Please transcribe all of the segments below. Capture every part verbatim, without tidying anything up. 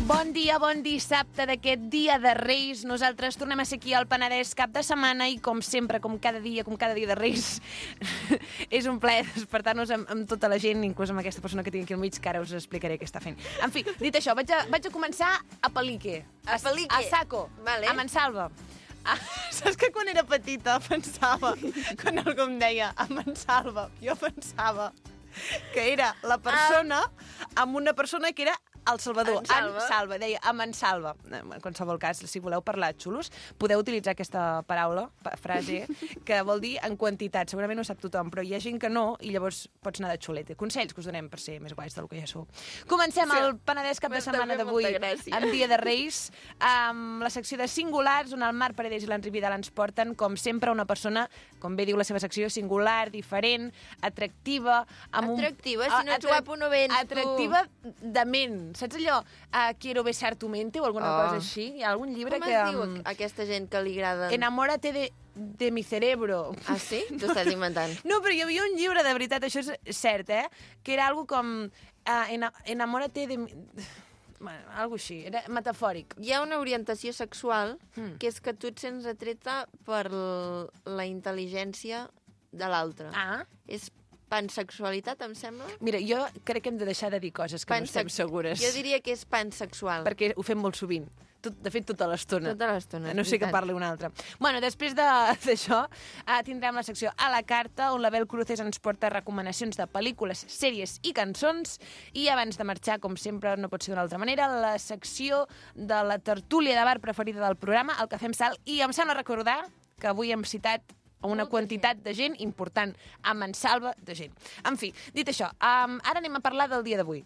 Bon dia, bon dissabte d'aquest dia de Reis. Nosaltres tornem a ser aquí al Penedès cap de setmana i, com sempre, com cada dia, com cada dia de Reis, és un plaer despertar-nos amb, amb tota la gent, inclús amb aquesta persona que tinc aquí al mig, que ara us explicaré què està fent. En fi, dit això, vaig a, vaig a començar a Palique. A Palique? A Saco, vale. a Mansalva. Ah, saps que quan era petita pensava, quan algú em deia a Mansalva, jo pensava que era la persona amb una persona que era El Salvador, En Salva. en Salva, deia a Mansalva. En qualsevol cas, si voleu parlar xulos, podeu utilitzar aquesta paraula, frase, que vol dir en quantitat. Segurament ho sap tothom, però hi ha gent que no, i llavors pots anar de xulete. Consells que us donem per ser més guais del que ja sou. Comencem Sí. el Penedès cap de M'està setmana fent d'avui, molta gràcia. en dia de Reis, amb la secció de singulars, on el Marc Paredes i l'Enric Vidal ens porten, com sempre, una persona, com bé diu la seva secció, singular, diferent, atractiva... Amb Atractiva? un... Si no ets guapo no vens, tu. Atractiva de ment. Saps allò? Uh, Quiero besar tu mente o alguna Oh. cosa així? Hi ha algun llibre Com que... es diu um, aquesta gent que li agrada? Enamórate de, de mi cerebro. Ah, sí? T'ho estàs inventant. No, però hi havia un llibre, de veritat, això és cert, eh? Que era algo com... Uh, ena, enamórate de mi... Bueno, algo així, era metafòric. Hi ha una orientació sexual Mm. que és que tu et sents atreta per l- la intel·ligència de l'altre. Ah, És pansexualitat, em sembla? mira, jo crec que hem de deixar de dir coses que no estem Pansex- segures. Jo diria que és pansexual. Perquè ho fem molt sovint. Tot, de fet, tota l'estona. Tota l'estona, No és sé que veritat. parli una altra. Bueno, després de- d'això, eh, tindrem la secció a la carta, on l'Abel Cruces ens porta recomanacions de pel·lícules, sèries i cançons. I abans de marxar, com sempre, no pot ser d'una altra manera, la secció de la tertúlia de bar preferida del programa, el Cafè amb Sal. I em sembla recordar que avui hem citat a una Molta quantitat de gent important, a mansalva de gent. En fi, dit això, um, ara anem a parlar del dia d'avui.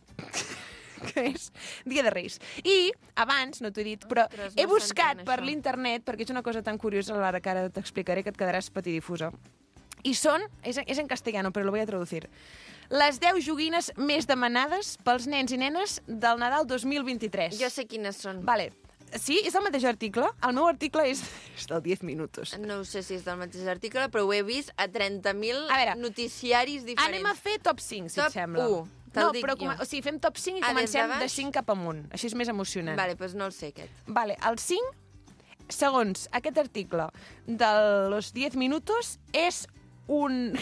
Que és Dia de Reis. I abans, no t'ho he dit, però Ostres, he no buscat s'entén, per això. l'internet, perquè és una cosa tan curiosa, Lara, que ara t'explicaré, que et quedaràs patidifusa. I són, és, és en castellano, però lo voy a traducir, les deu joguines més demanades pels nens i nenes del Nadal dos mil vint-i-tres. Jo sé quines són. Vale. Sí, és el mateix article. El meu article és, és del diez minutos. No sé si és del mateix article, però ho he vist a trenta mil A veure, noticiaris diferents. Anem a fer top cinc, si Top et sembla. u, te'l no, dic però jo. com, o sigui, fem top cinc i Ah, des de comencem de, baix? cinc cap amunt. Així és més emocionant. Vale, doncs no el sé, aquest. Vale, el cinc, segons aquest article de los diez minutos, és un...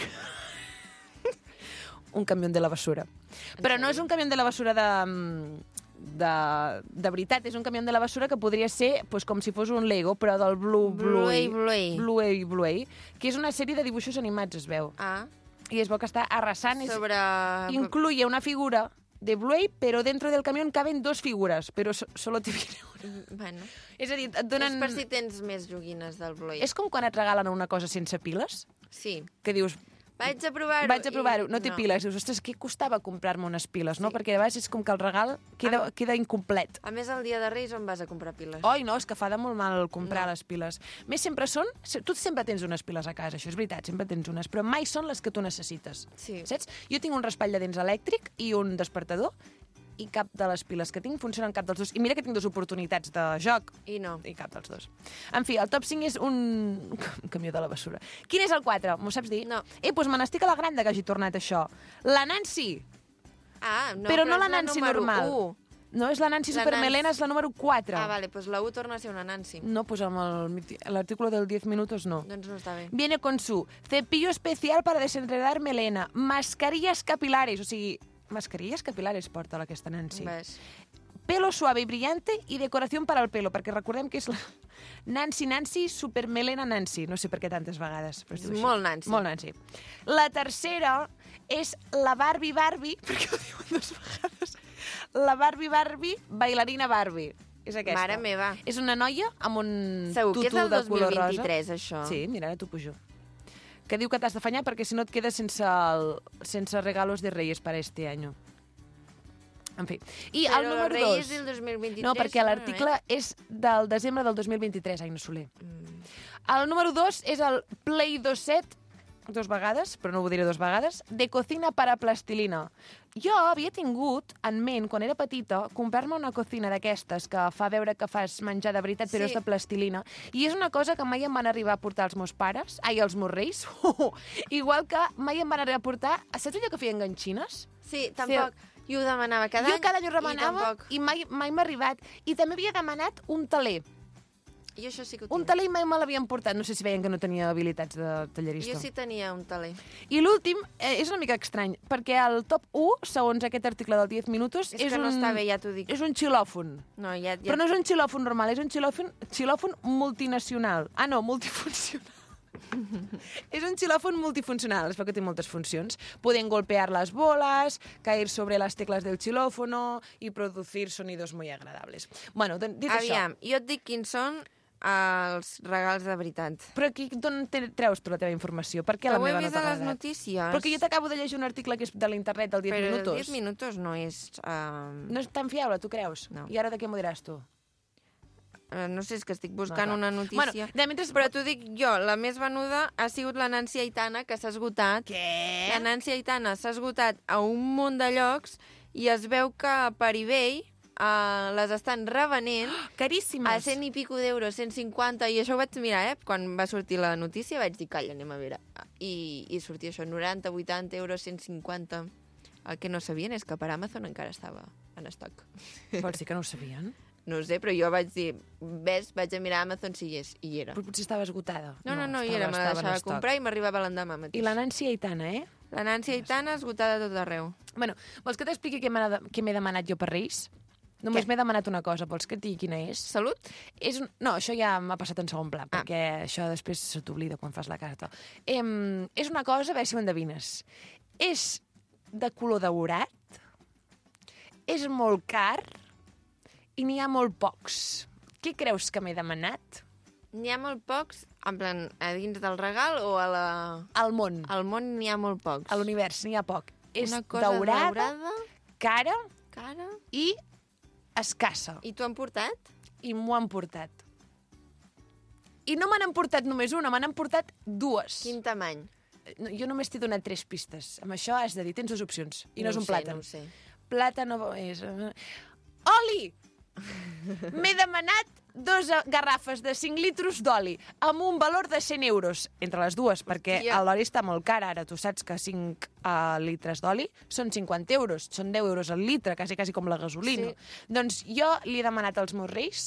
un camió de la basura. Però no és un camió de la basura de... De, de veritat, és un camió de la basura que podria ser pues, com si fos un Lego, però del Blue Bluey. Bluey, Bluey. Bluey, Bluey, que és una sèrie de dibuixos animats, es veu. Ah, I es veu que està arrasant. És... sobre... Incluye una figura de Bluey, pero dentro del camión caben dos figuras, pero so solo te viene una. Bueno, És a dir, et donen... és per si tens més joguines del Bluey. És com quan et regalen una cosa sense piles, Sí. que dius, Vaig a provar-ho. vaig a provar-ho, i- no té piles. Dius, ostres, què costava comprar-me unes piles, no? Sí. Perquè de vegades és com que el regal queda, Ah. queda incomplet. A més, el dia de Reis on vas a comprar piles? Oi, no, és que fa de molt mal comprar No. les piles. Més sempre són... Tu sempre tens unes piles a casa, això és veritat, sempre tens unes, però mai són les que tu necessites. Sí. Saps? Jo tinc un raspall de dents elèctric i un despertador, i cap de les piles que tinc funcionen cap dels dos. I mira que tinc dues oportunitats de joc, I no. i cap dels dos. En fi, el top cinc és un, un camió de la basura. Quin és el quatre? M'ho saps dir? No. Eh, doncs me n'estic alegrant de que hagi tornat això. La Nancy! Ah, no, però no és la Nancy número normal. u. No, és la Nancy La Supermelena, Nancy. és la número quatre. Ah, vale, doncs la u torna a ser una Nancy. No, pues amb el- l'artículo del diez minutos no. Doncs no està bé. Viene con su cepillo especial para desenredar melena, mascarillas capilares, o sigui, mascarillas capilares porta aquesta Nancy. Ves. Pelo suave y brillante y decoración para el pelo, perquè recordem que és la Nancy Nancy Supermelena Nancy. No sé per què tantes vegades. Però es diu És així. molt Nancy. Molt Nancy. La tercera és la Barbie Barbie, perquè ho diuen dues vegades. La Barbie Barbie, bailarina Barbie. És aquesta. Mare meva. És una noia amb un Segur que és tutú del de dos mil color rosa. vint-i-tres, això. Sí, mira, ara t'ho pujo. Que diu que t'has d'afanyar perquè si no et quedes sense, el, sense regalos de Reyes para este año. En fi. I Però el número Reyes dos... del dos mil vint-i-tres... No, perquè no, l'article eh? és del desembre del dos mil vint-i-tres, Aina Soler. Mm. El número dos és el Play dos set, dos vegades, però no ho diré dos vegades, de cocina para plastilina. Jo havia tingut en ment, quan era petita, comprar-me una cocina d'aquestes que fa veure que fas menjar de veritat, però Sí. és de plastilina. I és una cosa que mai em van arribar a portar els meus pares, ai, els meus reis, igual que mai em van arribar a portar... Saps allò que feien ganxines? Sí, tampoc... Jo ho demanava cada jo any. cada any ho remenava i, i mai, mai m'ha arribat. I també havia demanat un taler. Jo això sí que ho Un tinc. taler mai me l'havien portat. No sé si veien que no tenia habilitats de tallerista. Jo sí tenia un taler. I l'últim eh, és una mica estrany, perquè el top u, segons aquest article del diez minutos, És, és, que un, no està bé, ja t'ho dic. és un xilòfon. No, ja, ja... Però no és un xilòfon normal, és un xilòfon, xilòfon multinacional. Ah, no, multifuncional. És un xilòfon multifuncional, es veu que té moltes funcions. Pueden golpear las bolas, caer sobre las teclas del xilòfono i producir sonidos muy agradables. Bueno, dit Aviam, això... jo et dic quins són els regals de veritat. Però aquí d'on te- treus tu la teva informació? Per què Que la ho he meva no vist t'ha a les agradat? notícies. Perquè jo t'acabo de llegir un article que és de l'internet del diez Però minutos. diez minutos no és... Uh... No és tan fiable, tu creus? No. I ara de què m'ho diràs tu? Uh, no sé, és que estic buscant No, una clar. notícia. Bueno, de mentre... Però t'ho dic jo, la més venuda ha sigut la Nancy Aitana, que s'ha esgotat. Què? La Nancy Aitana s'ha esgotat a un munt de llocs i es veu que per eBay uh, les estan revenent Caríssimes. a cent i pico d'euros, cent cinquanta, i això ho vaig mirar, eh? Quan va sortir la notícia vaig dir, calla, anem a veure. I, i sortia això, noranta, vuitanta euros, cent cinquanta. El que no sabien és que per Amazon encara estava en estoc. Vols dir que no ho sabien? No ho sé, però jo vaig dir, ves, vaig a mirar Amazon si hi és, i hi era. Però potser estava esgotada. No, no, no, hi estava- era, me la estava en deixava estoc. comprar i m'arribava l'endemà mateix. I la Nancy Aitana, eh? La Nancy Aitana esgotada a tot arreu. Bueno, vols que t'expliqui què m'ha de- què m'he demanat jo per Reis? Només Què? m'he demanat una cosa, vols que et digui quina és? Salut? És un... No, això ja m'ha passat en segon pla, Ah. perquè això després se t'oblida quan fas la carta. Em, és una cosa, a veure si ho endevines. És de color daurat, és molt car i n'hi ha molt pocs. Què creus que m'he demanat? N'hi ha molt pocs, en plan, a dins del regal o a la... Al món, Al món n'hi ha molt pocs. a l'univers, n'hi ha poc. És Una cosa daurada, daurada, cara cara... i escassa. I t'ho han portat? I m'ho han portat. I no m'han emportat només una, m'han emportat dues. Quin tamany? No, jo només t'he donat tres pistes. Amb això has de dir, tens dues opcions. I no, No és ho un sé, plàtan. no ho sé. Plàtan és... Oli! M'he demanat dos garrafes de cinc litres d'oli amb un valor de cent euros entre les dues, perquè Hòstia. l'oli està molt car ara. Tu saps que cinc uh, litres d'oli són cinquanta euros, són deu euros al litre, quasi, quasi com la gasolina. Sí. Doncs jo li he demanat als meus reis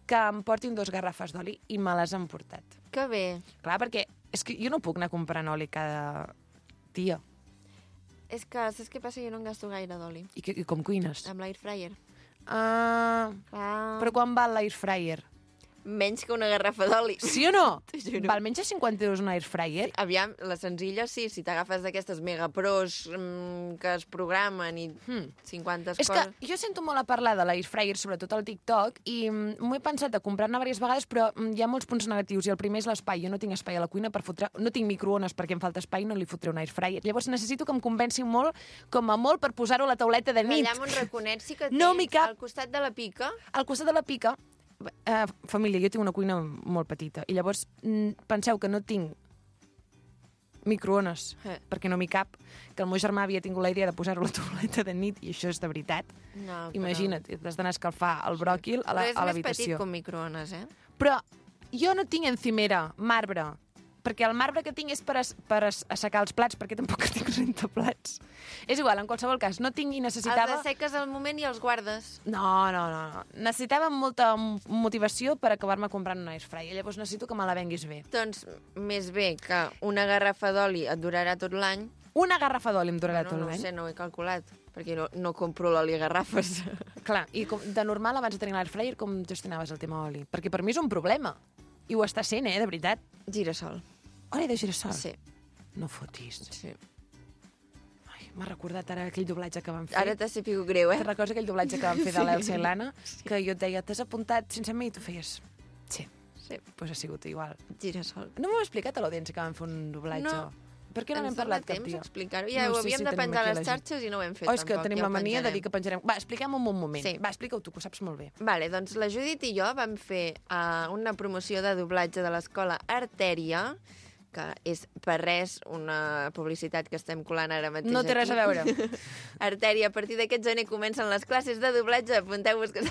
que em portin dos garrafes d'oli i me les han portat. Que bé. Clar, perquè és que jo no puc anar comprant oli cada dia. És que, saps què passa? Jo no en gasto gaire d'oli. I, que, i com cuines? Amb l'air fryer. Ah, Clar. però quan val l'air fryer? Menys que una garrafa d'oli. Sí o no? T'ho juro. Val menys de cinquanta euros un air fryer? Aviam, la senzilla sí, si t'agafes d'aquestes megapros mm, que es programen i Hmm. cinquanta És que coses... jo sento molt a parlar de l'air fryer, sobretot al TikTok, i mm, m'ho he pensat de comprar-ne diverses vegades, però mm, hi ha molts punts negatius, i el primer és l'espai. Jo no tinc espai a la cuina per fotre... No tinc microones perquè em falta espai, no li fotré un air fryer. Llavors necessito que em convenci molt, com a molt, per posar-ho a la tauleta de nit. Allà amb un raconet sí que tens, No m'hi cap. al costat de la pica. Al costat de la pica, eh, família, jo tinc una cuina molt petita, i llavors mm, penseu que no tinc microones, Eh. perquè no m'hi cap, que el meu germà havia tingut la idea de posar-ho a la tauleta de nit, i això és de veritat. No, però... Imagina't, t'has d'anar a escalfar el bròquil a la- Però és a més petit l'habitació. com microones, eh? Però jo no tinc encimera, marbre, perquè el marbre que tinc és per, as, per as, assecar els plats, perquè tampoc tinc rentaplats. És igual, en qualsevol cas, no tinc i necessitava... Els asseques al moment i els guardes. No, no, no, no. Necessitava molta m- motivació per acabar-me comprant una air fryer. Llavors necessito que me la venguis bé. Doncs més bé que una garrafa d'oli et durarà tot l'any. Una garrafa d'oli em durarà no, tot no ho l'any. sé, no ho he calculat, perquè no, no compro l'oli a garrafes. Clar, i com, de normal, abans de tenir l'air fryer, com gestionaves el tema oli? Perquè per mi és un problema. I ho està sent, eh, de veritat. Girassol. Oli de girassol? Sí, No fotis. sí. Ai, m'ha recordat ara aquell doblatge que vam fer. Ara t'ha sabut greu, Te'n eh? recordes aquell doblatge que vam fer de l'Elsa i l'Anna? Que jo et deia, t'has apuntat sense mi? I tu feies, sí. Sí, Doncs pues ha sigut igual. girassol. No m'ho he explicat a l'audiència que vam fer un doblatge. No. Per què no Ens n'hem dona parlat cap temps dia? explicar-ho. Ja No ho sé havíem si de tenim penjar a aquí les la gent. xarxes i no ho hem fet Oh, és que tampoc. tenim ja la ho mania de penjarem. dir que penjarem... Va, explica'm un moment. Sí. Va, explica-ho tu, que ho saps molt bé. Vale, doncs la Judit i jo vam fer uh, una promoció de doblatge de l'escola Artèria, que és per res una publicitat que estem colant ara mateix No té res a aquí. veure. Artèria, a partir d'aquest gener comencen les classes de doblatge, apunteu-vos que...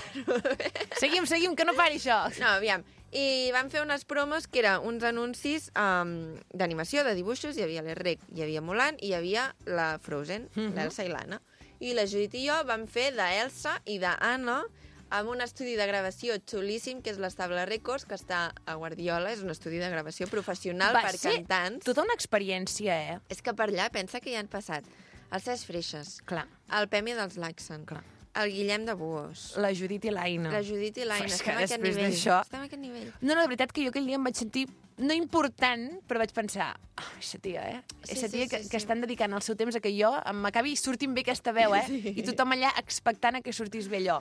Seguim, seguim, que no pari això. No, aviam. I vam fer unes promos que eren uns anuncis um, d'animació, de dibuixos. Hi havia l'Errec, hi havia Mulan i hi havia la Frozen, Mhm. l'Elsa i l'Anna. I la Judit i jo vam fer d'Elsa i d'Anna amb un estudi de gravació xulíssim, que és l'Estable Records, que està a Guardiola. És un estudi de gravació professional Va per ser cantants. tota una experiència, eh? És que per allà pensa que hi han passat el Cesc Freixas, Clar, el Pemi dels Laxen, clar. el Guillem de Buós, La Judit i l'Aina. la Judit i l'Aina. Però és que Estem a aquest després nivell. d'això- Estem a aquest nivell. No, no, de veritat que jo aquell dia em vaig sentir no important, però vaig pensar, ah, aquesta tia, eh? Sí, Aquesta sí, tia que, sí, sí. que estan dedicant el seu temps a que jo m'acabi sortint bé aquesta veu, eh? Sí. I tothom allà expectant a que sortís bé allò.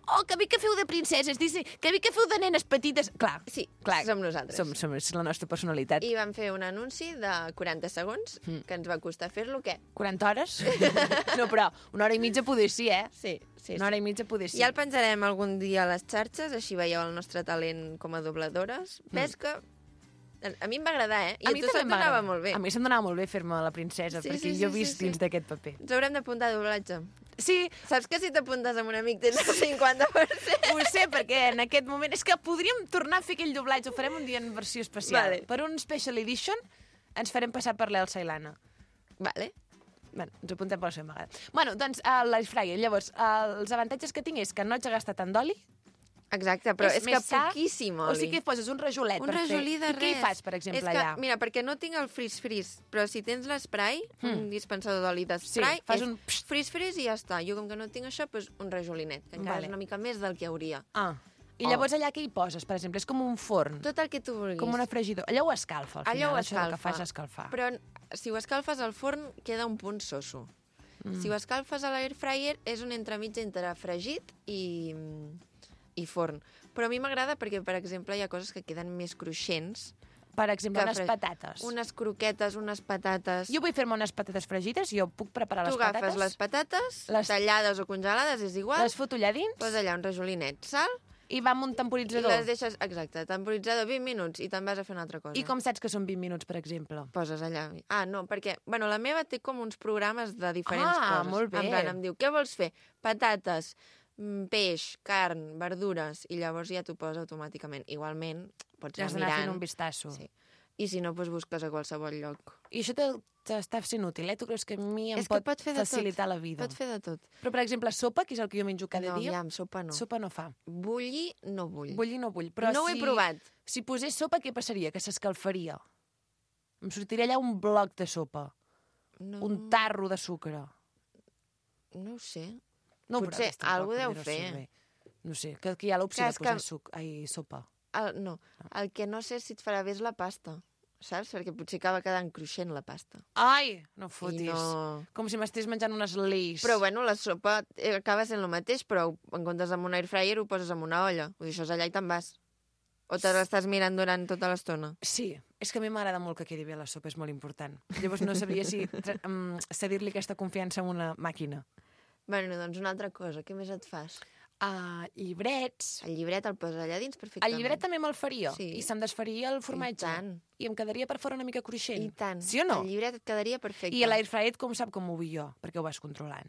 Oh, que bé que feu de princeses, Disney, que bé que feu de nenes petites. Clar, Sí, clar. som nosaltres. Som, som, és la nostra personalitat. I vam fer un anunci de quaranta segons, Mm. que ens va costar fer-lo, què? quaranta hores? No, però una hora i mitja poder sí, eh? Sí, sí, Una hora i mitja poder sí. Ja el penjarem algun dia a les xarxes, així veieu el nostre talent com a dobladores. Mm. Ves que a mi em va agradar, eh? I a, tu se't també donava m'agrada. molt bé. A mi se'm donava molt bé fer-me la princesa, Sí, perquè sí, jo he sí, vist sí, dins sí. d'aquest paper. Ens haurem d'apuntar a doblatge. Sí, Saps que si t'apuntes amb un amic tens el cinquanta per cent? ho sé, perquè en aquest moment... És que podríem tornar a fer aquell doblatge, ho farem un dia en versió especial. Vale. Per un Special Edition ens farem passar per l'Elsa i l'Anna. Vale. Bueno, ens apuntem per la seva vegada. Bueno, doncs, uh, l'air fryer. Llavors, uh, els avantatges que tinc és que no haig de gastar tant d'oli. Exacte, però és, és que més sa, poquíssim oli. O sigui que hi poses un rajolet un per rajolí fer. de I què hi res. fas, per exemple, és que, allà? Mira, perquè no tinc el frizz-frizz, però si tens l'esprai, mm. un dispensador d'oli d'esprai, Sí, fas és un frizz-frizz i ja està. Jo, com que no tinc això, doncs un rajolinet, que encara Vale. és una mica més del que hauria. Ah, i Oh. llavors allà què hi poses, per exemple? És com un forn, Tot el que tu vulguis. com una fregidora. Allò ho escalfa, al final. Allò ho Això el que escalfa. fas és escalfar. Però si ho escalfes al forn, queda un punt soso. Mm. Si ho escalfes a l'air fryer, és un entremig entre fregit i, i forn. Però a mi m'agrada perquè, per exemple, hi ha coses que queden més cruixents. Per exemple, que unes fre- patates. Unes croquetes, unes patates... Jo vull fer-me unes patates fregides, jo puc preparar tu les patates. agafes les patates, les- tallades o congelades, és igual, Les foto allà dins poses allà un rajolinet, sal, i va amb un i temporitzador. les deixes, exacte, temporitzador vint minuts i te'n vas a fer una altra cosa. I com saps que són vint minuts, per exemple? Poses allà. Ah, no, perquè, bueno, la meva té com uns programes de diferents Ah, coses. molt bé. En plan, em diu, què vols fer? Patates, mm, peix, carn, verdures, i llavors ja t'ho posa automàticament. Igualment, pots Ja has anar d'anar mirant. fent un vistasso. Sí. I si no, doncs busques a qualsevol lloc. I això te- t'està sent útil, eh? Tu creus que a mi em És que pot, pot fer de tot. facilitar la vida? Pot fer de tot. Però, per exemple, sopa, que és el que jo menjo cada no, dia, aviam, sopa no. sopa no fa. Bullir, no vull. Bullir no vull. Però no ho si, he provat. Si posés sopa, què passaria? Que s'escalfaria. Em sortiria allà un bloc de sopa. No, Un tarro de sucre. No ho sé. No ho Potser proves, tampoc, algú deu perquè no fer. surt bé. No sé, que, que hi ha l'opció Que de és posar que- suc, ai, sopa. El, no, el que no sé si et farà bé és la pasta, saps? Perquè potser acaba quedant cruixent la pasta. Ai, no I fotis. no... Com si m'estigués menjant unes leis. Però bueno, la sopa eh, acaba sent el mateix, però en comptes amb un air fryer ho poses en una olla. Vull dir, això és allà i te'n vas. O te l'estàs mirant durant tota l'estona? Sí, és que a mi m'agrada molt que quedi bé la sopa, és molt important. Llavors no sabria si um, cedir-li aquesta confiança a una màquina. Bueno, doncs una altra cosa. Què més et fas? Uh, llibrets. El llibret el poses allà dins El perfectament. llibret també me'l faria. Sí. I se'm desfaria el formatge. I tant. I em quedaria per fora una mica cruixent. I tant. Sí o no? El llibret et quedaria perfecte. I l'air fryer com sap com ho vull jo? Perquè ho vas controlant.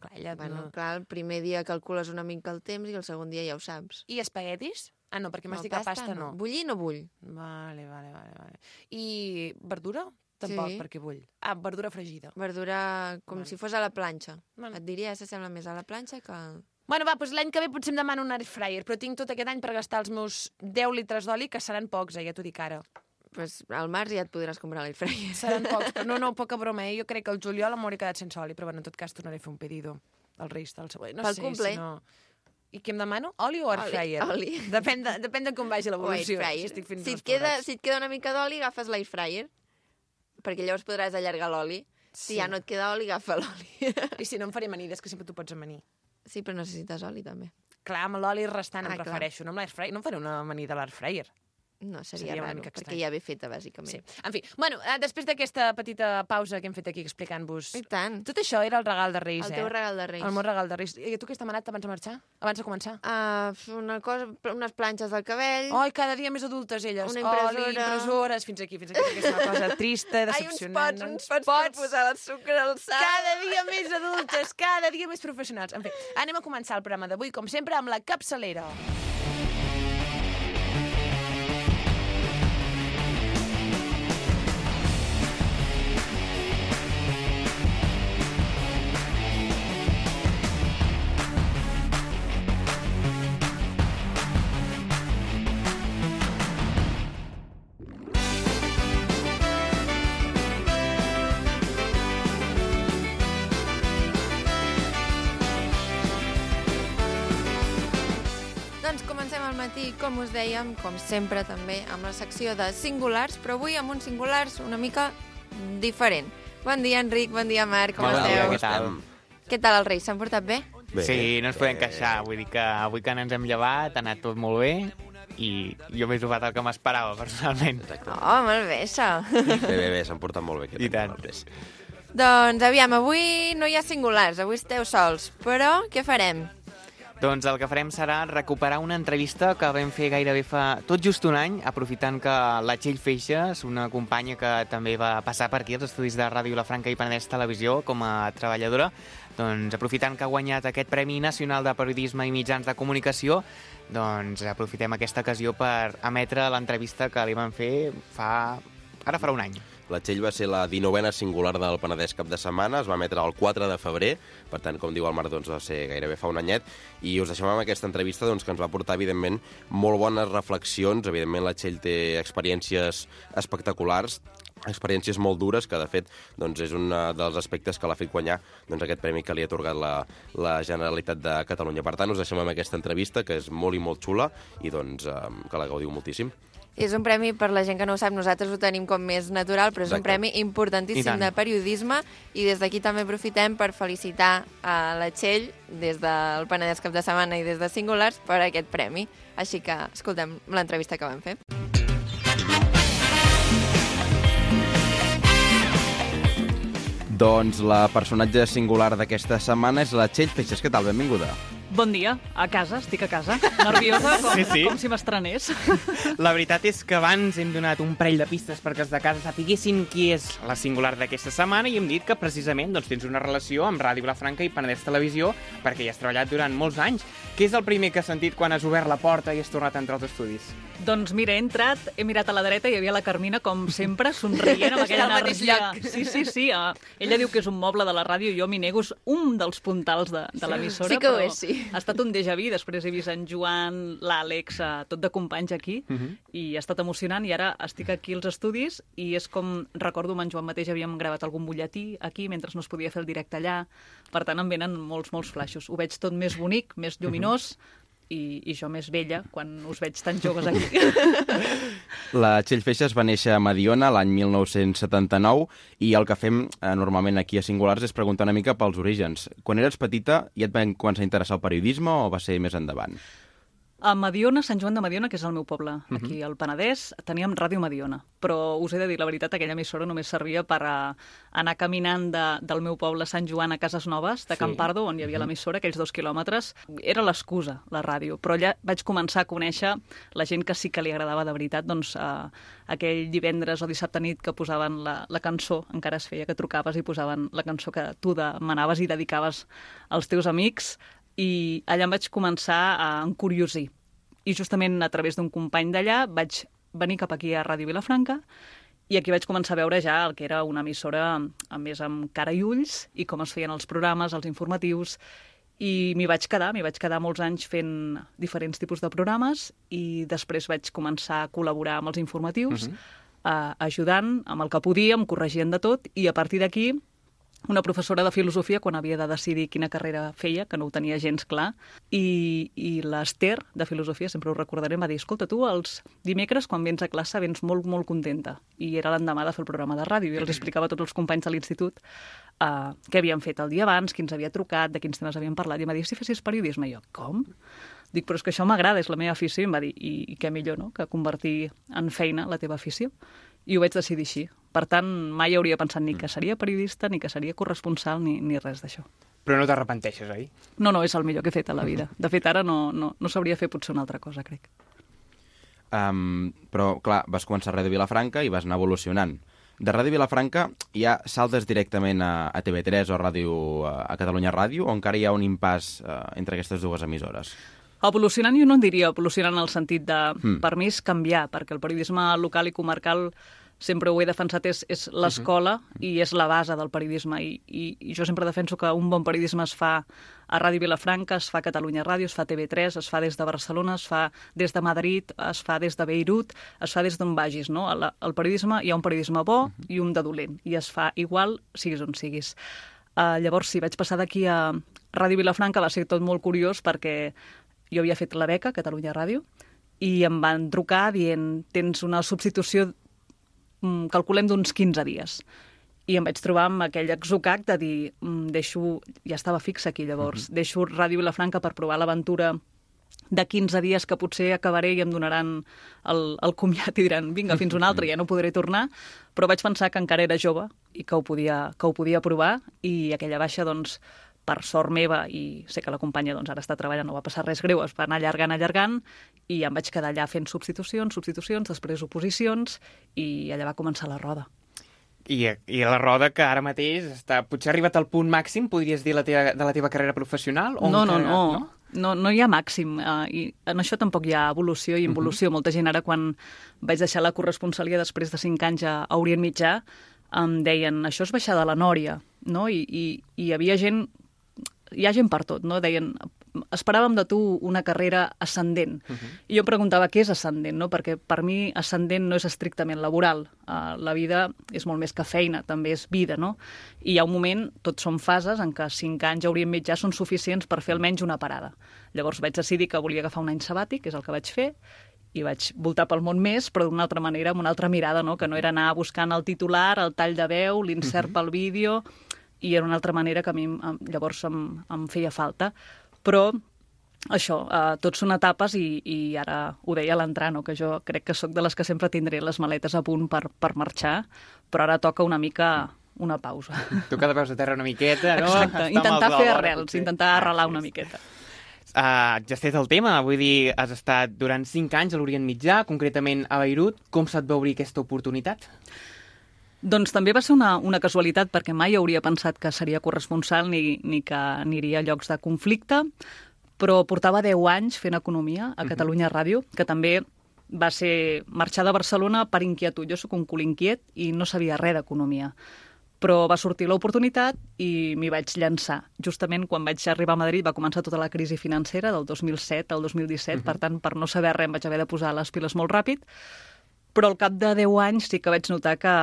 Clar, ella Bueno, no... clar, el primer dia calcules una mica el temps i el segon dia ja ho saps. I espaguetis? Ah, no, perquè m'has No, dit que pasta no. Bullir no vull. Vale, vale, vale, vale. I verdura? Tampoc, Sí. perquè vull. Ah, verdura fregida. Verdura com Vale. si fos a la planxa. Vale. Et diria que s'assembla més a la planxa que... Bueno, va, doncs l'any que ve potser em demano un air fryer, però tinc tot aquest any per gastar els meus deu litres d'oli, que seran pocs, eh, ja t'ho dic ara. Pues al març ja et podràs comprar l'air fryer. Seran pocs, però no, no, poca broma, eh? Jo crec que el juliol m'hauré quedat sense oli, però bueno, en tot cas tornaré a fer un pedido al Reis del següent. No Pel sé, complet. si no... I què em demano? Oli o air Oli, fryer? oli. Depèn de, depèn de com vagi O air l'evolució. fryer. Si, estic fent Si dos et, queda, forats. si et queda una mica d'oli, agafes l'air fryer, perquè llavors podràs allargar l'oli. Si Sí. ja no et queda oli, agafa l'oli. I si no em faré amanides, que sempre t'ho pots amanir. Sí, però necessites oli, també. Clar, amb l'oli restant Ah, em clar. prefereixo, no amb l'air fryer. No em faré una amanida a l'air fryer. No, seria, Seria una raro, mica perquè estrany. ja ve feta, bàsicament. Sí. En fi, bueno, eh, després d'aquesta petita pausa que hem fet aquí explicant-vos... I tant. Tot això era el regal de Reis, El eh? teu regal de Reis. El meu regal de Reis. I tu què has demanat abans de marxar? Abans de començar? Uh, una cosa, unes planxes del cabell. Ai, cada dia més adultes, elles. Una impressora. Oli, impressores, fins aquí, fins aquí, que és una cosa trista, Ai, uns decepcionant. pots, uns pots, per posar el sucre al sal. Cada dia més adultes, cada dia més professionals. En fi, anem a començar el programa d'avui, com sempre, amb la capçalera. i com us dèiem, com sempre també, amb la secció de singulars, però avui amb uns singulars una mica diferent. Bon dia, Enric, bon dia, Marc, com Bon esteu? dia, què tal? Què tal els Reis, s'han portat bé? Bé, sí, no ens podem queixar. Vull dir que avui que ens hem llevat ha anat tot molt bé i jo m'he trobat el que m'esperava, personalment. Exacte. Oh, molt bé, això. Bé, bé, bé, s'han portat molt bé. I tant. Doncs, aviam, avui no hi ha singulars, avui esteu sols, però què farem? Doncs el que farem serà recuperar una entrevista que vam fer gairebé fa tot just un any, aprofitant que la Txell Feixes, una companya que també va passar per aquí als estudis de Ràdio Vilafranca i Penedès Televisió com a treballadora, doncs aprofitant que ha guanyat aquest Premi Nacional de Periodisme i Mitjans de Comunicació, doncs aprofitem aquesta ocasió per emetre l'entrevista que li vam fer fa... ara farà un any. La Txell va ser la dinovena singular del Penedès cap de setmana, es va emetre el quatre de febrer, per tant, com diu el Marc, doncs va ser gairebé fa un anyet, i us deixem amb aquesta entrevista doncs, que ens va portar, evidentment, molt bones reflexions. Evidentment, la Txell té experiències espectaculars, experiències molt dures, que, de fet, doncs, és un dels aspectes que l'ha fet guanyar doncs, aquest premi que li ha atorgat la, la Generalitat de Catalunya. Per tant, us deixem amb aquesta entrevista, que és molt i molt xula, i doncs, eh, que la gaudiu moltíssim. És un premi, per la gent que no ho sap, nosaltres ho tenim com més natural, però és Exacte. un premi importantíssim de periodisme i des d'aquí també aprofitem per felicitar a la Txell des del Penedès cap de setmana i des de Singulars per aquest premi. Així que escoltem l'entrevista que vam fer. Doncs la personatge singular d'aquesta setmana és la Txell Feixes. Què tal? Benvinguda. Bon dia, a casa, estic a casa, nerviosa, com, Sí, sí. com si m'estrenés. La veritat és que abans hem donat un parell de pistes perquè els de casa sapiguessin qui és la singular d'aquesta setmana i hem dit que precisament doncs, tens una relació amb Ràdio Vilafranca i Penedès Televisió perquè hi has treballat durant molts anys. Què és el primer que has sentit quan has obert la porta i has tornat a entrar als estudis? Doncs mira, he entrat, he mirat a la dreta i hi havia la Carmina, com sempre, somrient amb aquella Està al mateix energia. lloc. Sí, sí, sí. Uh, ella diu que és un moble de la ràdio i jo m'hi nego, és un dels puntals de, de l'emissora. Sí que ho però és, sí. Ha estat un déjà vu, després he vist en Joan, l'Àlex, uh, tot de companys aquí, uh -huh. i ha estat emocionant, i ara estic aquí als estudis i és com, recordo, amb en Joan mateix havíem gravat algun butlletí aquí, mentre no es podia fer el directe allà, per tant em venen molts, molts flaixos. Ho veig tot més bonic, més lluminós, uh -huh. I, i jo més vella, quan us veig tan joves aquí. La Txell Feixes va néixer a Mediona l'any mil nou-cents setanta-nou i el que fem eh, normalment aquí a Singulars és preguntar una mica pels orígens. Quan eres petita ja et van començar a interessar el periodisme o va ser més endavant? A Mediona, Sant Joan de Mediona, que és el meu poble, aquí al Penedès, teníem Ràdio Mediona. Però us he de dir la veritat, aquella emissora només servia per a anar caminant de, del meu poble, Sant Joan, a Cases Noves, de Sí. Campardo, on hi havia l'emissora, aquells dos quilòmetres. Era l'excusa, la ràdio. Però allà vaig començar a conèixer la gent que sí que li agradava de veritat. Doncs uh, aquell divendres o dissabte nit que posaven la, la cançó, encara es feia que trucaves i posaven la cançó que tu demanaves i dedicaves als teus amics, i allà em vaig començar a encuriosir. I justament a través d'un company d'allà vaig venir cap aquí a Ràdio Vilafranca i aquí vaig començar a veure ja el que era una emissora a més amb cara i ulls i com es feien els programes, els informatius, i m'hi vaig quedar, m'hi vaig quedar molts anys fent diferents tipus de programes i després vaig començar a col·laborar amb els informatius, uh -huh. eh, ajudant amb el que podíem, corregint de tot, i a partir d'aquí una professora de filosofia, quan havia de decidir quina carrera feia, que no ho tenia gens clar, i, i l'Ester, de filosofia, sempre ho recordaré, em va dir, escolta, tu els dimecres, quan vens a classe, vens molt, molt contenta. I era l'endemà de fer el programa de ràdio, i els explicava a tots els companys de l'institut uh, què havien fet el dia abans, qui ens havia trucat, de quins temes havien parlat, i em va dir, si fessis periodisme? I jo, com? Dic, però és que això m'agrada, és la meva afició, i em va dir, i, i què millor, no?, que convertir en feina la teva afició. I ho vaig decidir així. Per tant, mai hauria pensat ni que seria periodista, ni que seria corresponsal, ni, ni res d'això. Però no t'arrepenteixes, oi? No, no, és el millor que he fet a la vida. De fet, ara no, no, no sabria fer potser una altra cosa, crec. Um, però, clar, vas començar a Ràdio Vilafranca i vas anar evolucionant. De Ràdio Vilafranca ja saltes directament a, a T V tres o a, Ràdio, a Catalunya Ràdio o encara hi ha un impàs uh, entre aquestes dues emissores? Evolucionant jo no en diria evolucionant en el sentit de, Mm. per mi és canviar, perquè el periodisme local i comarcal sempre ho he defensat, és, és l'escola uh-huh. i és la base del periodisme. I, i, I jo sempre defenso que un bon periodisme es fa a Ràdio Vilafranca, es fa a Catalunya Ràdio, es fa a T V tres, es fa des de Barcelona, es fa des de Madrid, es fa des de Beirut, es fa des d'on vagis, no? El, el periodisme, hi ha un periodisme bo uh-huh. i un de dolent, i es fa igual siguis on siguis. Uh, llavors, sí, vaig passar d'aquí a Ràdio Vilafranca, va ser tot molt curiós perquè jo havia fet la beca a Catalunya Ràdio i em van trucar dient tens una substitució, calculem d'uns quinze dies. I em vaig trobar amb aquell exocac de dir, deixo, ja estava fixa aquí llavors, mm-hmm. deixo Ràdio Vilafranca per provar l'aventura de quinze dies que potser acabaré i em donaran el, el comiat i diran, vinga, fins un altre, ja no podré tornar, però vaig pensar que encara era jove i que ho podia, que ho podia provar, i aquella baixa, doncs, per sort meva, i sé que la companya doncs, ara està treballant, no va passar res greu, es va anar allargant, allargant, i em vaig quedar allà fent substitucions, substitucions, després oposicions, i allà va començar la roda. I, I la roda que ara mateix està, potser ha arribat al punt màxim, podries dir, la teva, de la teva carrera professional? O no, no, encara, no, no. No, no hi ha màxim. Uh, i en això tampoc hi ha evolució i involució. Uh-huh. Molta gent ara, quan vaig deixar la corresponsalia després de cinc anys a Orient Mitjà, em deien, això és baixar de la Nòria, no? I, i, i hi havia gent, hi ha gent per tot, no? Deien, esperàvem de tu una carrera ascendent. Uh-huh. I jo em preguntava què és ascendent, no? Perquè per mi ascendent no és estrictament laboral. Uh, la vida és molt més que feina, també és vida, no? I hi ha un moment, tots són fases, en què cinc anys a Orient Mitjà són suficients per fer almenys una parada. Llavors vaig decidir que volia agafar un any sabàtic, que és el que vaig fer, i vaig voltar pel món més, però d'una altra manera, amb una altra mirada, no? Que no era anar buscant el titular, el tall de veu, l'insert uh-huh. pel vídeo, i era una altra manera que a mi llavors em, em feia falta. Però això, eh, tots són etapes i, i ara ho deia a l'entrar, no? Que jo crec que sóc de les que sempre tindré les maletes a punt per, per marxar, però ara toca una mica una pausa. Toca de peus a terra una miqueta, no? Exacte, intentar fer arrels, intentar arrelar una miqueta. Uh, ja has fet el tema, vull dir, has estat durant cinc anys a l'Orient Mitjà, concretament a Beirut. Com se't va obrir aquesta oportunitat? Doncs també va ser una, una casualitat, perquè mai hauria pensat que seria corresponsal ni, ni que aniria a llocs de conflicte, però portava deu anys fent economia a Catalunya Ràdio, que també va ser marxar de Barcelona per inquietud. Jo sóc un cul inquiet i no sabia res d'economia. Però va sortir l'oportunitat i m'hi vaig llançar. Justament quan vaig arribar a Madrid va començar tota la crisi financera del dos mil set al dos mil disset, uh-huh. per tant, per no saber res em vaig haver de posar les piles molt ràpid, però al cap de deu anys sí que vaig notar que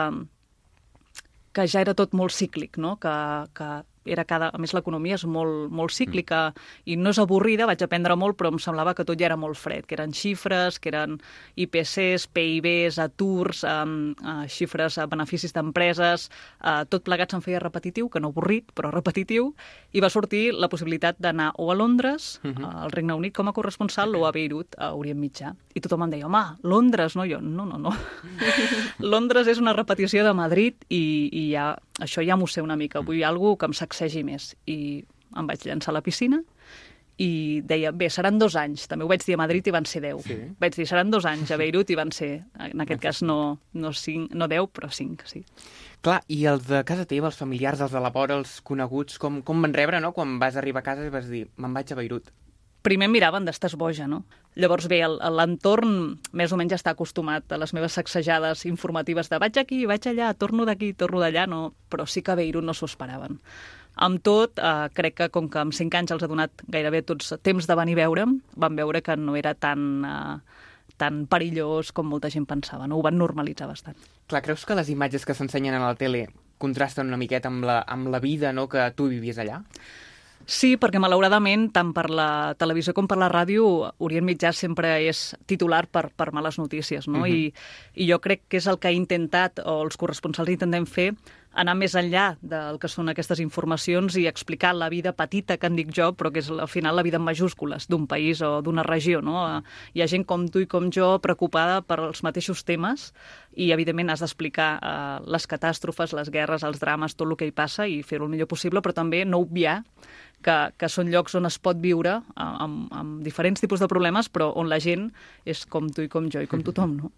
que ja era tot molt cíclic, no? Que, que era cada... A més, l'economia és molt, molt cíclica i no és avorrida, vaig aprendre molt, però em semblava que tot ja era molt fred, que eren xifres, que eren I P Cs, P I Bs, aturs, um, uh, xifres, uh, beneficis d'empreses, uh, tot plegat se'm feia repetitiu, que no avorrit, però repetitiu, i va sortir la possibilitat d'anar o a Londres, uh-huh. uh, al Regne Unit, com a corresponsal, o a Beirut, a Orient Mitjà. I tothom em deia, home, Londres, no? Jo, no, no, no. Londres és una repetició de Madrid i, i ja, això ja m'ho sé una mica. Vull alguna que em sacsegi més. I em vaig llançar a la piscina i deia, bé, seran dos anys. També ho vaig dir a Madrid i van ser deu. Sí. Vaig dir, seran dos anys a Beirut i van ser, en aquest cas, no, no, cinc, no deu, però cinc, sí. Clar, i els de casa teva, els familiars, els de la vora, els coneguts, com, com van rebre, no?, quan vas arribar a casa i vas dir, me'n vaig a Beirut? Primer em miraven d'estàs boja, no? Llavors, bé, l'entorn més o menys està acostumat a les meves sacsejades informatives de vaig aquí, vaig allà, torno d'aquí, torno d'allà, no, però sí que a Beirut no s'ho esperaven. Amb tot, eh, crec que com que amb cinc anys els ha donat gairebé tots temps de venir a veure'm, van veure que no era tan, eh, tan perillós com molta gent pensava, no? Ho van normalitzar bastant. Clar, creus que les imatges que s'ensenyen a la tele contrasten una miqueta amb la, amb la vida, no?, que tu vivies allà? Sí, perquè malauradament, tant per la televisió com per la ràdio, Orient Mitjà sempre és titular per, per males notícies, no? Uh-huh. I, I jo crec que és el que ha intentat, o els corresponsals intentem fer, anar més enllà del que són aquestes informacions i explicar la vida petita, que en dic jo, però que és al final la vida en majúscules d'un país o d'una regió, no? Hi ha gent com tu i com jo preocupada per els mateixos temes i, evidentment, has d'explicar eh, les catàstrofes, les guerres, els drames, tot el que hi passa i fer-ho el millor possible, però també no obviar que, que són llocs on es pot viure amb, amb diferents tipus de problemes, però on la gent és com tu i com jo i com tothom, no?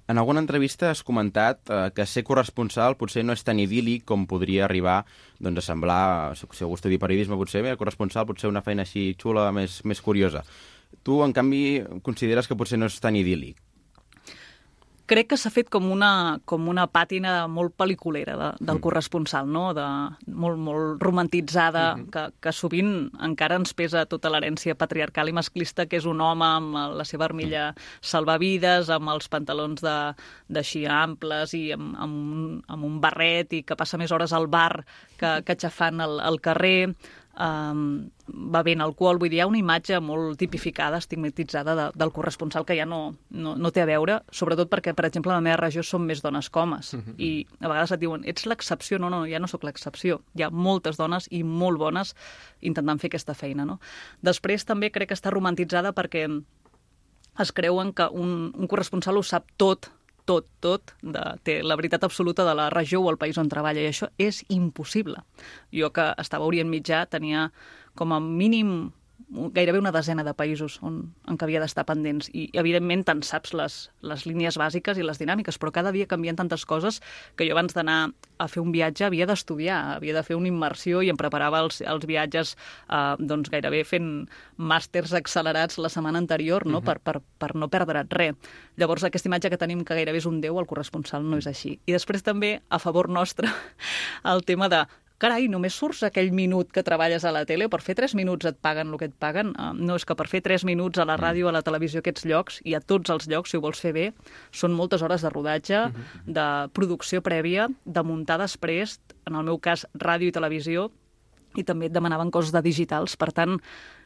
En alguna entrevista has comentat eh, que ser corresponsal potser no és tan idíl·lic com podria arribar doncs, a semblar, si algú estudia periodisme potser, bé, corresponsal potser una feina així xula, més, més curiosa. Tu, en canvi, consideres que potser no és tan idíl·lic? Crec que s'ha fet com una, com una pàtina molt pel·liculera de, del mm. corresponsal, no? De, molt, molt romantitzada, mm-hmm. que, que sovint encara ens pesa tota l'herència patriarcal i masclista, que és un home amb la seva armilla salvavides, amb els pantalons de, d'així amples i amb, amb, amb un barret i que passa més hores al bar que, que xafant al, al carrer. um, bevent alcohol. Vull dir, hi ha una imatge molt tipificada, estigmatitzada de, del corresponsal que ja no, no, no té a veure, sobretot perquè, per exemple, a la meva regió som més dones que homes. Uh -huh. I a vegades et diuen, ets l'excepció. No, no, ja no sóc l'excepció. Hi ha moltes dones i molt bones intentant fer aquesta feina, no? Després també crec que està romantitzada perquè es creuen que un, un corresponsal ho sap tot, tot, tot, de, té la veritat absoluta de la regió o el país on treballa, i això és impossible. Jo, que estava a Orient Mitjà, tenia com a mínim gairebé una desena de països on, en què havia d'estar pendents, i evidentment te'n saps les, les línies bàsiques i les dinàmiques, però cada dia canvien tantes coses que jo abans d'anar a fer un viatge havia d'estudiar, havia de fer una immersió i em preparava els, els viatges eh, doncs gairebé fent màsters accelerats la setmana anterior, no? Uh-huh. per, per, per no perdre't res. Llavors, aquesta imatge que tenim que gairebé és un déu, el corresponsal no és així. I després també, a favor nostre, el tema de carai, només surts aquell minut que treballes a la tele, per fer tres minuts et paguen el que et paguen. Uh, no, és que per fer tres minuts a la ràdio, a la televisió, aquests llocs, i a tots els llocs, si ho vols fer bé, són moltes hores de rodatge, de producció prèvia, de muntar després, en el meu cas, ràdio i televisió, i també et demanaven coses de digitals. Per tant,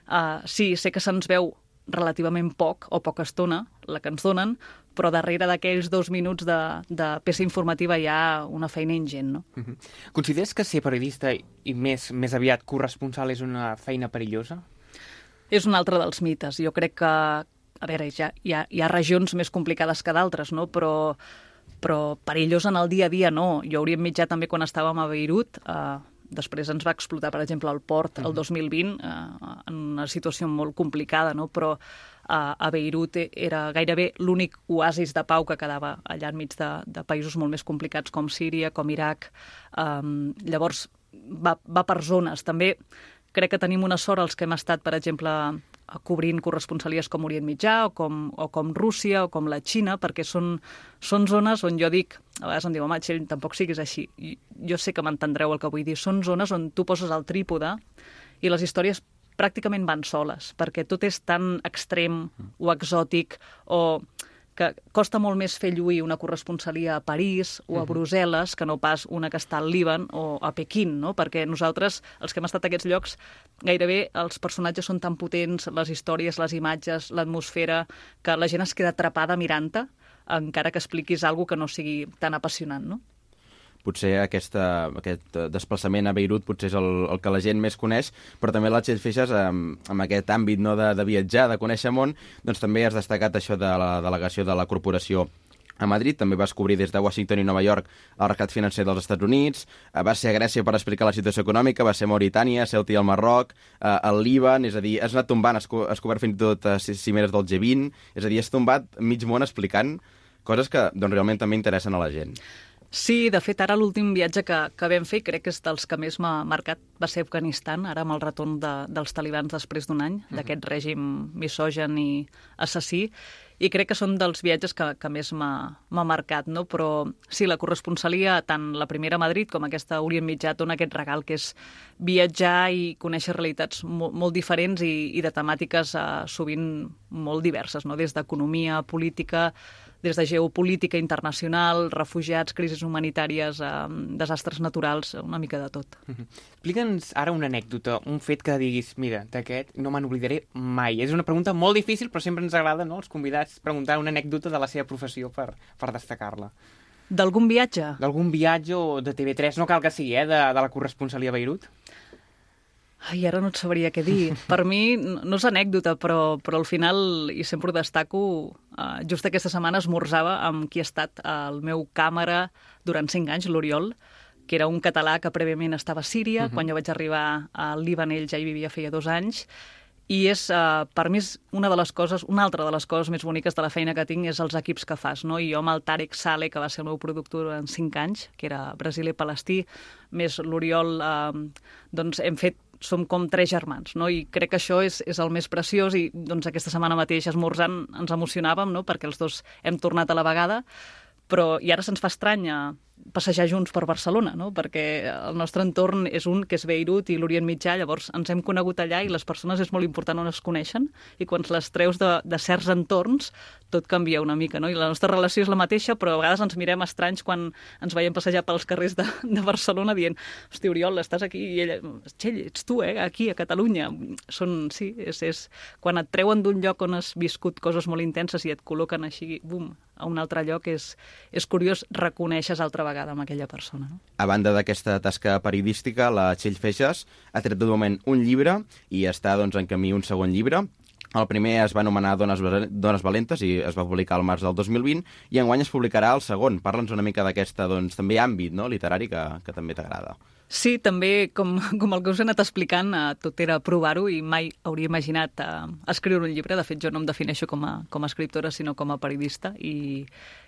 uh, sí, sé que se'ns veu relativament poc o poca estona, la que ens donen, però darrere d'aquells dos minuts de, de peça informativa hi ha una feina ingent, no? Uh-huh. Consideres que ser periodista i més, més aviat corresponsal és una feina perillosa? És un altre dels mites. Jo crec que, a veure, ja, hi, ha, hi ha regions més complicades que d'altres, no? Però, però perillós en el dia a dia no. Jo hauria mitjà també quan estàvem a Beirut, eh, després ens va explotar, per exemple, el port el dos mil vint, eh, en una situació molt complicada, no? Però eh, a Beirut era gairebé l'únic oasis de pau que quedava allà enmig de, de països molt més complicats com Síria, com Iraq. Um, llavors, va, va per zones. També crec que tenim una sort els que hem estat, per exemple, cobrint corresponsalies com Orient Mitjà o com, o com Rússia o com la Xina, perquè són, són zones on jo dic, a vegades em diu, home, Txell, tampoc siguis així. I jo sé que m'entendreu el que vull dir. Són zones on tu poses el trípode i les històries pràcticament van soles, perquè tot és tan extrem o exòtic o que costa molt més fer lluir una corresponsalia a París o a Brussel·les que no pas una que està al Líban o a Pequín, no? Perquè nosaltres, els que hem estat a aquests llocs, gairebé els personatges són tan potents, les històries, les imatges, l'atmosfera, que la gent es queda atrapada mirant-te, encara que expliquis alguna cosa que no sigui tan apassionant, no? Potser aquesta, aquest desplaçament a Beirut potser és el, el que la gent més coneix, però també la Txell Feixas, amb, amb aquest àmbit no, de, de viatjar, de conèixer món, doncs també has destacat això de la delegació de la corporació a Madrid, també vas cobrir des de Washington i Nova York el rescat financer dels Estats Units, vas ser a Grècia per explicar la situació econòmica, vas ser a Mauritània, Ceuta i el Marroc, al Líban, és a dir, has anat tombant, has, co has cobert fins i tot cimeres del G vint, és a dir, has tombat mig món explicant coses que doncs, realment també interessen a la gent. Sí, de fet, ara l'últim viatge que, que vam fer, crec que és dels que més m'ha marcat, va ser Afganistan, ara amb el retorn de, dels talibans després d'un any, uh-huh. d'aquest règim misogen i assassí, i crec que són dels viatges que, que més m'ha marcat, no? Però sí, la corresponsalia, tant la primera a Madrid com aquesta a Orient Mitjà, dona aquest regal que és viatjar i conèixer realitats molt, molt diferents i, i de temàtiques eh, sovint molt diverses, no? Des d'economia, política, des de geopolítica internacional, refugiats, crisis humanitàries, eh, desastres naturals, una mica de tot. Uh-huh. Explica'ns ara una anècdota, un fet que diguis, mira, d'aquest no me n'oblidaré mai. És una pregunta molt difícil, però sempre ens agrada, no?, els convidats preguntar una anècdota de la seva professió per, per destacar-la. D'algun viatge? D'algun viatge o de T V tres, no cal que sigui, eh, de, de la corresponsalia a Beirut? Ai, ara no et sabria què dir. Per mi no és anècdota, però, però al final, i sempre ho destaco, uh, just aquesta setmana esmorzava amb qui ha estat el meu càmera durant cinc anys, l'Oriol, que era un català que prèviament estava a Síria. Uh-huh. Quan jo vaig arribar al Líban, ell ja hi vivia feia dos anys. I és, uh, per mi, és una de les coses, una altra de les coses més boniques de la feina que tinc és els equips que fas, no? I jo amb el Tarek Saleh, que va ser el meu productor durant cinc anys, que era Brasil i Palestí, més l'Oriol, uh, doncs hem fet som com tres germans, no? I crec que això és, és el més preciós i doncs aquesta setmana mateix esmorzant ens emocionàvem, no? Perquè els dos hem tornat a la vegada, però i ara se'ns fa estrany passejar junts per Barcelona, no? Perquè el nostre entorn és un que és Beirut i l'Orient Mitjà, llavors ens hem conegut allà i les persones és molt important on es coneixen i quan les treus de, de certs entorns tot canvia una mica, no? I la nostra relació és la mateixa, però a vegades ens mirem estranys quan ens veiem passejar pels carrers de, de Barcelona dient, hosti, Oriol, estàs aquí? I ella, Txell, ets tu, eh? Aquí, a Catalunya. Són, sí, és, és... Quan et treuen d'un lloc on has viscut coses molt intenses i et col·loquen així, bum, a un altre lloc, és, és curiós, reconeixes altra vegada amb aquella persona. No? A banda d'aquesta tasca periodística, la Txell Feixas ha tret de moment un llibre i està doncs, en camí un segon llibre. El primer es va anomenar Dones, Dones Valentes i es va publicar al març del dos mil vint i enguany es publicarà el segon. Parla'ns una mica d'aquesta doncs, també àmbit, no?, literari que, que també t'agrada. Sí, també, com, com el que us he anat explicant, eh, tot era provar-ho i mai hauria imaginat eh, escriure un llibre. De fet, jo no em defineixo com a, com a escriptora, sinó com a periodista i,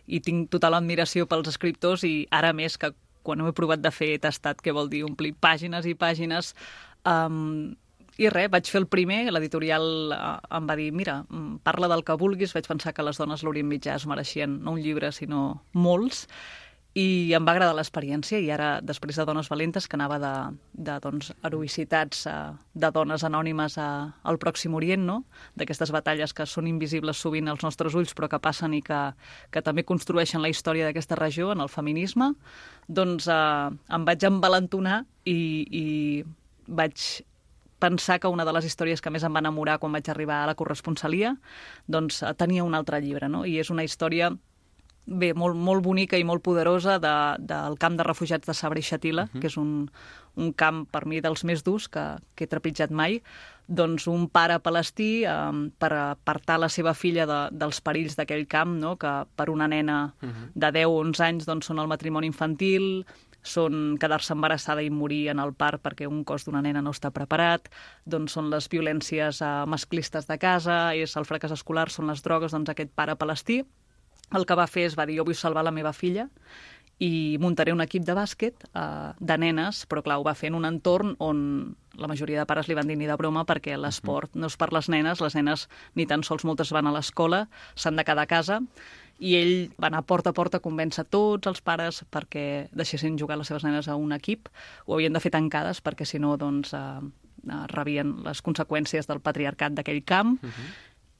i tinc total admiració pels escriptors i ara més que quan ho he provat de fer he tastat què vol dir omplir pàgines i pàgines. Um, I res, vaig fer el primer, l'editorial eh, em va dir, mira, parla del que vulguis, vaig pensar que les dones l'Orient Mitjà es mereixien no un llibre, sinó molts, i em va agradar l'experiència i ara, després de Dones Valentes, que anava de, de doncs, heroïcitats eh, de dones anònimes a, al Pròxim Orient, no? D'aquestes batalles que són invisibles sovint als nostres ulls però que passen i que, que també construeixen la història d'aquesta regió en el feminisme, doncs eh, em vaig envalentonar i, i vaig pensar que una de les històries que més em va enamorar quan vaig arribar a la corresponsalia doncs tenia un altre llibre, no? I és una història bé, molt, molt bonica i molt poderosa de, del camp de refugiats de Sabra i Shatila, uh-huh. que és un, un camp per mi dels més durs que, que he trepitjat mai. Doncs un pare palestí eh, per apartar la seva filla de, dels perills d'aquell camp, no? Que per una nena uh-huh. de deu o onze anys doncs, són el matrimoni infantil, són quedar-se embarassada i morir en el part perquè un cos d'una nena no està preparat, doncs són les violències eh, masclistes de casa, és el fracàs escolar, són les drogues, doncs aquest pare palestí el que va fer és va dir, jo vull salvar la meva filla i muntaré un equip de bàsquet eh, de nenes, però clar, ho va fer en un entorn on la majoria de pares li van dir ni de broma perquè l'esport no és per les nenes, les nenes ni tan sols moltes van a l'escola, s'han de quedar a casa, i ell va anar porta a porta a convèncer tots els pares perquè deixessin jugar les seves nenes a un equip, ho havien de fer tancades perquè si no doncs, eh, eh, rebien les conseqüències del patriarcat d'aquell camp, uh-huh.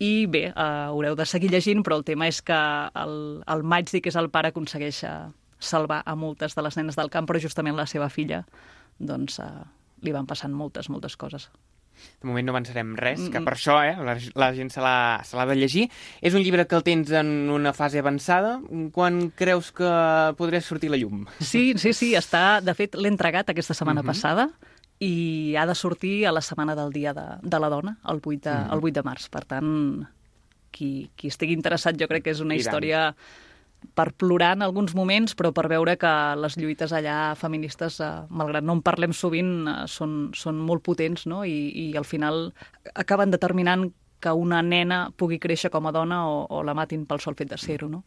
I bé, uh, haureu de seguir llegint, però el tema és que el, el Majdi, que és el pare, aconsegueix uh, salvar a moltes de les nenes del camp, però justament la seva filla, doncs, uh, li van passant moltes, moltes coses. De moment no avançarem res, que per això eh, la, la gent se l'ha, se l'ha de llegir. És un llibre que el tens en una fase avançada. Quan creus que podrà sortir la llum? Sí, sí, sí, està, de fet, l'he entregat aquesta setmana uh-huh. passada, i ha de sortir a la setmana del Dia de, de la Dona, el vuit de, el vuit de març. Per tant, qui, qui estigui interessat, jo crec que és una història per plorar en alguns moments, però per veure que les lluites allà feministes, eh, malgrat no en parlem sovint, eh, són, són molt potents, no? I, i al final acaben determinant que una nena pugui créixer com a dona o, o la matin pel sol fet de ser-ho, no?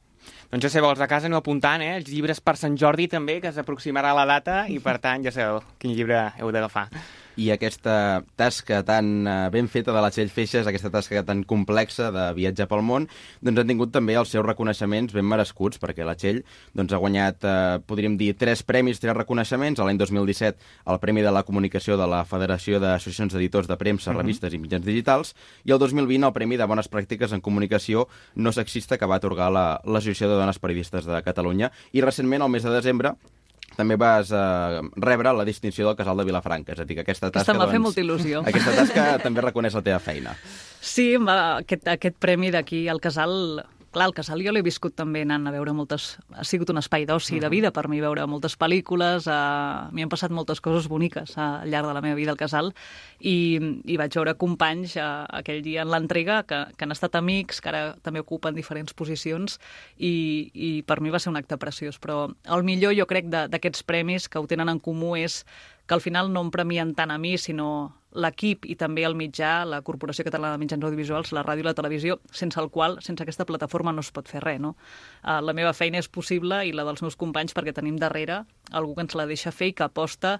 Doncs ja sabeu, els de casa aneu apuntant, eh? Els llibres per Sant Jordi també, que s'aproximarà la data, i per tant ja sabeu quin llibre heu d'agafar. I aquesta tasca tan ben feta de la Txell Feixas, aquesta tasca tan complexa de viatjar pel món, doncs han tingut també els seus reconeixements ben merescuts, perquè la Txell doncs, ha guanyat, eh, podríem dir, tres premis, tres reconeixements. L'any dos mil disset el Premi de la Comunicació de la Federació d'Associacions d'Editors de Premsa, uh-huh. Revistes i Mitjans Digitals, i el dos mil vint el Premi de Bones Pràctiques en Comunicació no sexista que va atorgar la, l'Associació de Dones Periodistes de Catalunya. I recentment, al mes de desembre, també vas eh, rebre la distinció del Casal de Vilafranca. És a dir, que aquesta tasca... Aquesta m'ha doncs, fet molta il·lusió. Aquesta tasca també reconeix la teva feina. Sí, va, aquest, aquest premi d'aquí al Casal... Clar, el Casal jo l'he viscut també anant a veure moltes... Ha sigut un espai d'oci de vida per mi veure moltes pel·lícules. Uh, M'hi han passat moltes coses boniques uh, al llarg de la meva vida al Casal i, i vaig veure companys uh, aquell dia en l'entrega que, que han estat amics, que ara també ocupen diferents posicions i, i per mi va ser un acte preciós. Però el millor, jo crec, d'aquests premis que ho tenen en comú és que al final no em premien tant a mi, sinó l'equip i també el mitjà, la Corporació Catalana de Mitjans Audiovisuals, la ràdio i la televisió, sense el qual, sense aquesta plataforma no es pot fer res, no? Uh, la meva feina és possible i la dels meus companys perquè tenim darrere algú que ens la deixa fer i que aposta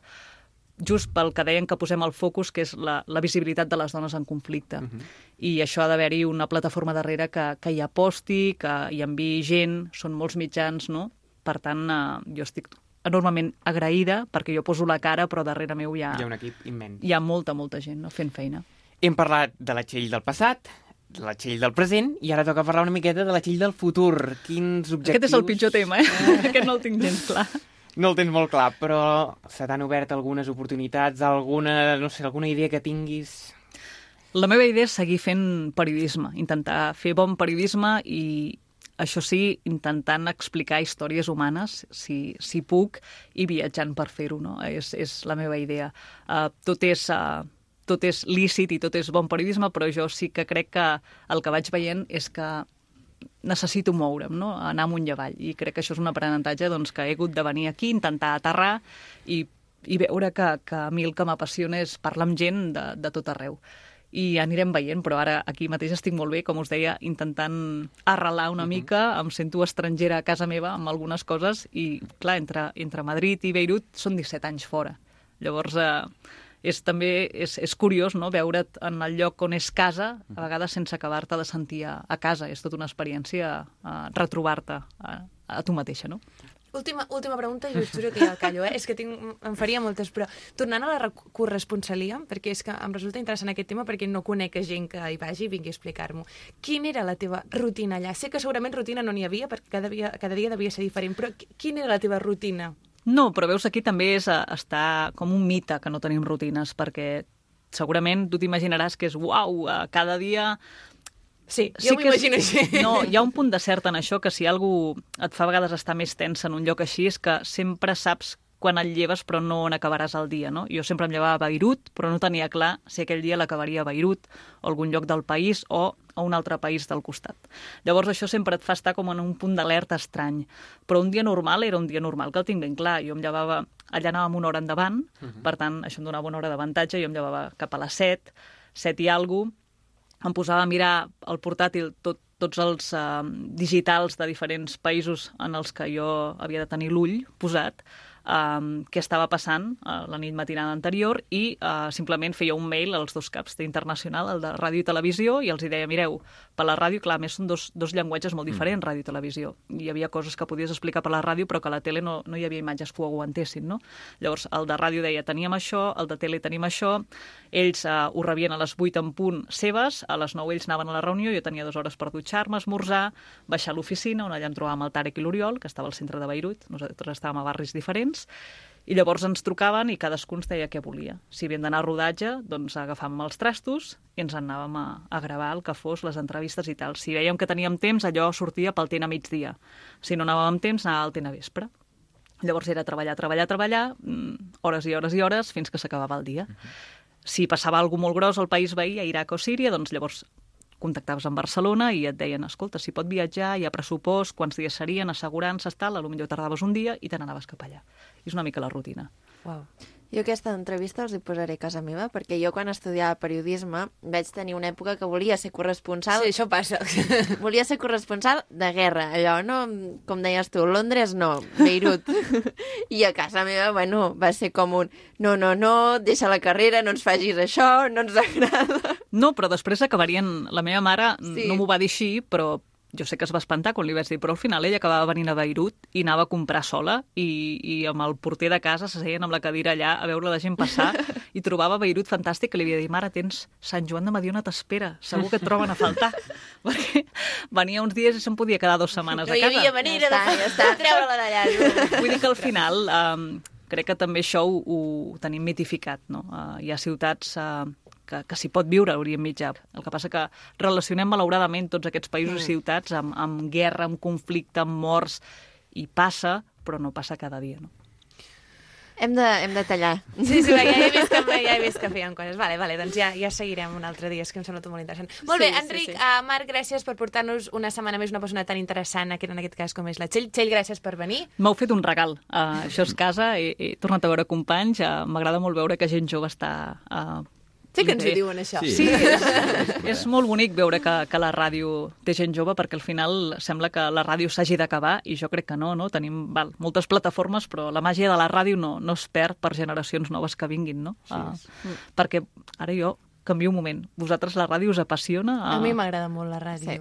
just pel que deien que posem el focus, que és la, la visibilitat de les dones en conflicte. Uh-huh. I això ha d'haver-hi una plataforma darrere que, que hi aposti, que hi enviï gent, són molts mitjans, no?, per tant, eh, jo estic enormement agraïda perquè jo poso la cara, però darrere meu hi ha, Hi ha un equip immens. hi ha molta, molta gent, no?, fent feina. Hem parlat de la Txell del passat, de la Txell del present, i ara toca parlar una miqueta de la Txell del futur. Quins objectius... Aquest és el pitjor tema, eh? Aquest no el tinc gens clar. No el tens molt clar, però se t'han obert algunes oportunitats, alguna, no sé, alguna idea que tinguis... La meva idea és seguir fent periodisme, intentar fer bon periodisme i, això sí, intentant explicar històries humanes, si, si puc, i viatjant per fer-ho, no? És, és la meva idea. Uh, tot és... Uh, tot és lícit i tot és bon periodisme, però jo sí que crec que el que vaig veient és que necessito moure'm, no?, anar amunt i avall. I crec que això és un aprenentatge doncs, que he hagut de venir aquí, intentar aterrar i, i veure que, que a mi el que m'apassiona és parlar amb gent de, de tot arreu. I anirem veient, però ara aquí mateix estic molt bé, com us deia, intentant arrelar una mica, em sento estrangera a casa meva amb algunes coses i, clar, entre, entre Madrid i Beirut són disset anys fora. Llavors... Eh, és també és, és curiós, no?, veure't en el lloc on és casa, a vegades sense acabar-te de sentir a, a casa. És tota una experiència a retrobar-te a, a tu mateixa, no? Última, última pregunta, i us juro que ja el callo, eh? És que tinc, em faria moltes, però tornant a la corresponsalia, perquè és que em resulta interessant aquest tema perquè no conec gent que hi vagi i vingui a explicar-m'ho. Quina era la teva rutina allà? Sé que segurament rutina no n'hi havia, perquè cada dia, cada dia devia ser diferent, però quina era la teva rutina? No, però veus, aquí també és està com un mite que no tenim rutines, perquè segurament tu t'imaginaràs que és uau, cada dia... Sí, jo sí m'ho imagino així. No, hi ha un punt de cert en això, que si algú et fa a vegades estar més tensa en un lloc així, és que sempre saps quan et lleves però no on acabaràs el dia, no? Jo sempre em llevava a Beirut, però no tenia clar si aquell dia l'acabaria a Beirut o algun lloc del país o a un altre país del costat. Llavors això sempre et fa estar com en un punt d'alerta estrany. Però un dia normal era un dia normal, que el tinc ben clar. Jo em llevava, allà anàvem una hora endavant, uh -huh. per tant, això em donava una hora d'avantatge, jo em llevava cap a les set, set i alguna cosa, em posava a mirar al portàtil tot, tots els uh, digitals de diferents països en els que jo havia de tenir l'ull posat, Um, què estava passant uh, la nit matinada anterior i uh, simplement feia un mail als dos caps d'internacional, el de ràdio i televisió, i els hi deia, mireu, per la ràdio, clar, a més són dos, dos llenguatges molt diferents, ràdio i televisió. Hi havia coses que podies explicar per la ràdio, però que a la tele no, no hi havia imatges que ho aguantessin, no? Llavors, el de ràdio deia, teníem això, el de tele tenim això, ells uh, ho rebien a les vuit en punt seves, a les nou ells anaven a la reunió, jo tenia dues hores per dutxar-me, esmorzar, baixar a l'oficina, on allà em trobàvem el Tarek i l'Oriol, que estava al centre de Beirut, nosaltres estàvem a barris diferents, i llavors ens trucaven i cadascun ens deia què volia. Si havíem d'anar a rodatge, doncs agafàvem els trastos i ens anàvem a, a gravar el que fos, les entrevistes i tal. Si veiem que teníem temps, allò sortia pel T N a migdia. Si no anàvem amb temps, anava al T N a vespre. Llavors era treballar, treballar, treballar, hores i hores i hores, fins que s'acabava el dia. Uh-huh. Si passava alguna molt gros al país veí, a Iraq o Síria, doncs llavors contactaves amb Barcelona i et deien, escolta, si pot viatjar, hi ha pressupost, quants dies serien, assegurances, tal, potser tardaves un dia i te n'anaves cap allà. És una mica la rutina. Wow. Jo aquesta entrevista els hi posaré a casa meva, perquè jo quan estudiava periodisme vaig tenir una època que volia ser corresponsal... Sí, això passa. Volia ser corresponsal de guerra, allò, no? Com deies tu, Londres no, Beirut. I a casa meva, bueno, va ser com un no, no, no, deixa la carrera, no ens facis això, no ens agrada. No, però després acabarien... La meva mare sí. no m'ho va dir així, però... Jo sé que es va espantar quan li vaig dir, però al final ella acabava venint a Beirut i anava a comprar sola i, i amb el porter de casa s'asseien amb la cadira allà a veure la gent passar i trobava Beirut fantàstic, que li havia dit, mare, tens Sant Joan de Mediona t'espera, segur que et troben a faltar. Perquè venia uns dies i se'n podia quedar dues setmanes no a casa. No hi havia manera ja de, està, de treure-la d'allà. Vull dir que al final um, crec que també això ho, ho tenim mitificat, no? Uh, hi ha ciutats... Uh, que, que s'hi pot viure a l'Orient Mitjà. El que passa que relacionem malauradament tots aquests països mm. i ciutats amb, amb guerra, amb conflicte, amb morts, i passa, però no passa cada dia, no? Hem de, hem de tallar. Sí, sí, ja he vist que, ja he vist que feien coses. Vale, vale, doncs ja, ja seguirem un altre dia, és que em sembla tot molt interessant. Molt bé, sí, Enric, sí, sí. Uh, Marc, gràcies per portar-nos una setmana més una persona tan interessant, que en aquest cas com és la Txell. Txell, gràcies per venir. M'heu fet un regal. Uh, això és casa, he, he tornat a veure companys, uh, m'agrada molt veure que gent jove està... Uh, Sí que ens ho diuen, això. Sí, sí és, és molt bonic veure que, que la ràdio té gent jove, perquè al final sembla que la ràdio s'hagi d'acabar, i jo crec que no, no? Tenim val, moltes plataformes, però la màgia de la ràdio no, no es perd per generacions noves que vinguin, no? Sí. Uh, perquè ara jo canvio un moment. Vosaltres la ràdio us apassiona? Uh... A mi m'agrada molt la ràdio. Sí.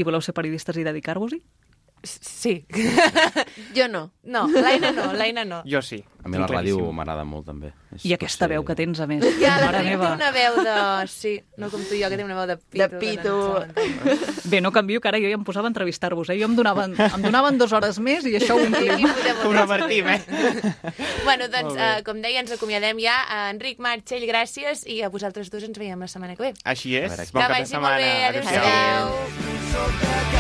I voleu ser periodistes i dedicar-vos-hi? Sí. Jo no. No, l'Aina no, l'Aina no. Jo sí. A mi la ràdio m'agrada molt, també. És, I aquesta veu que tens, a més. Ja, la Mare Trini té meva. una veu de... Sí, no com tu i jo, que té una veu de pito. De pito. Bé, no canvio, que ara jo ja em posava a entrevistar-vos, eh? Jo em donaven, em donaven dues hores més i això ho omplim. Ho revertim, eh? Bueno, doncs, uh, com deia, ens acomiadem ja. Uh, Enric, Marc, Txell, gràcies, i a vosaltres dos ens veiem la setmana que ve. Així és. A veure, Bon que cap de vagi molt setmana. bé. Adéu-siau. Adéu.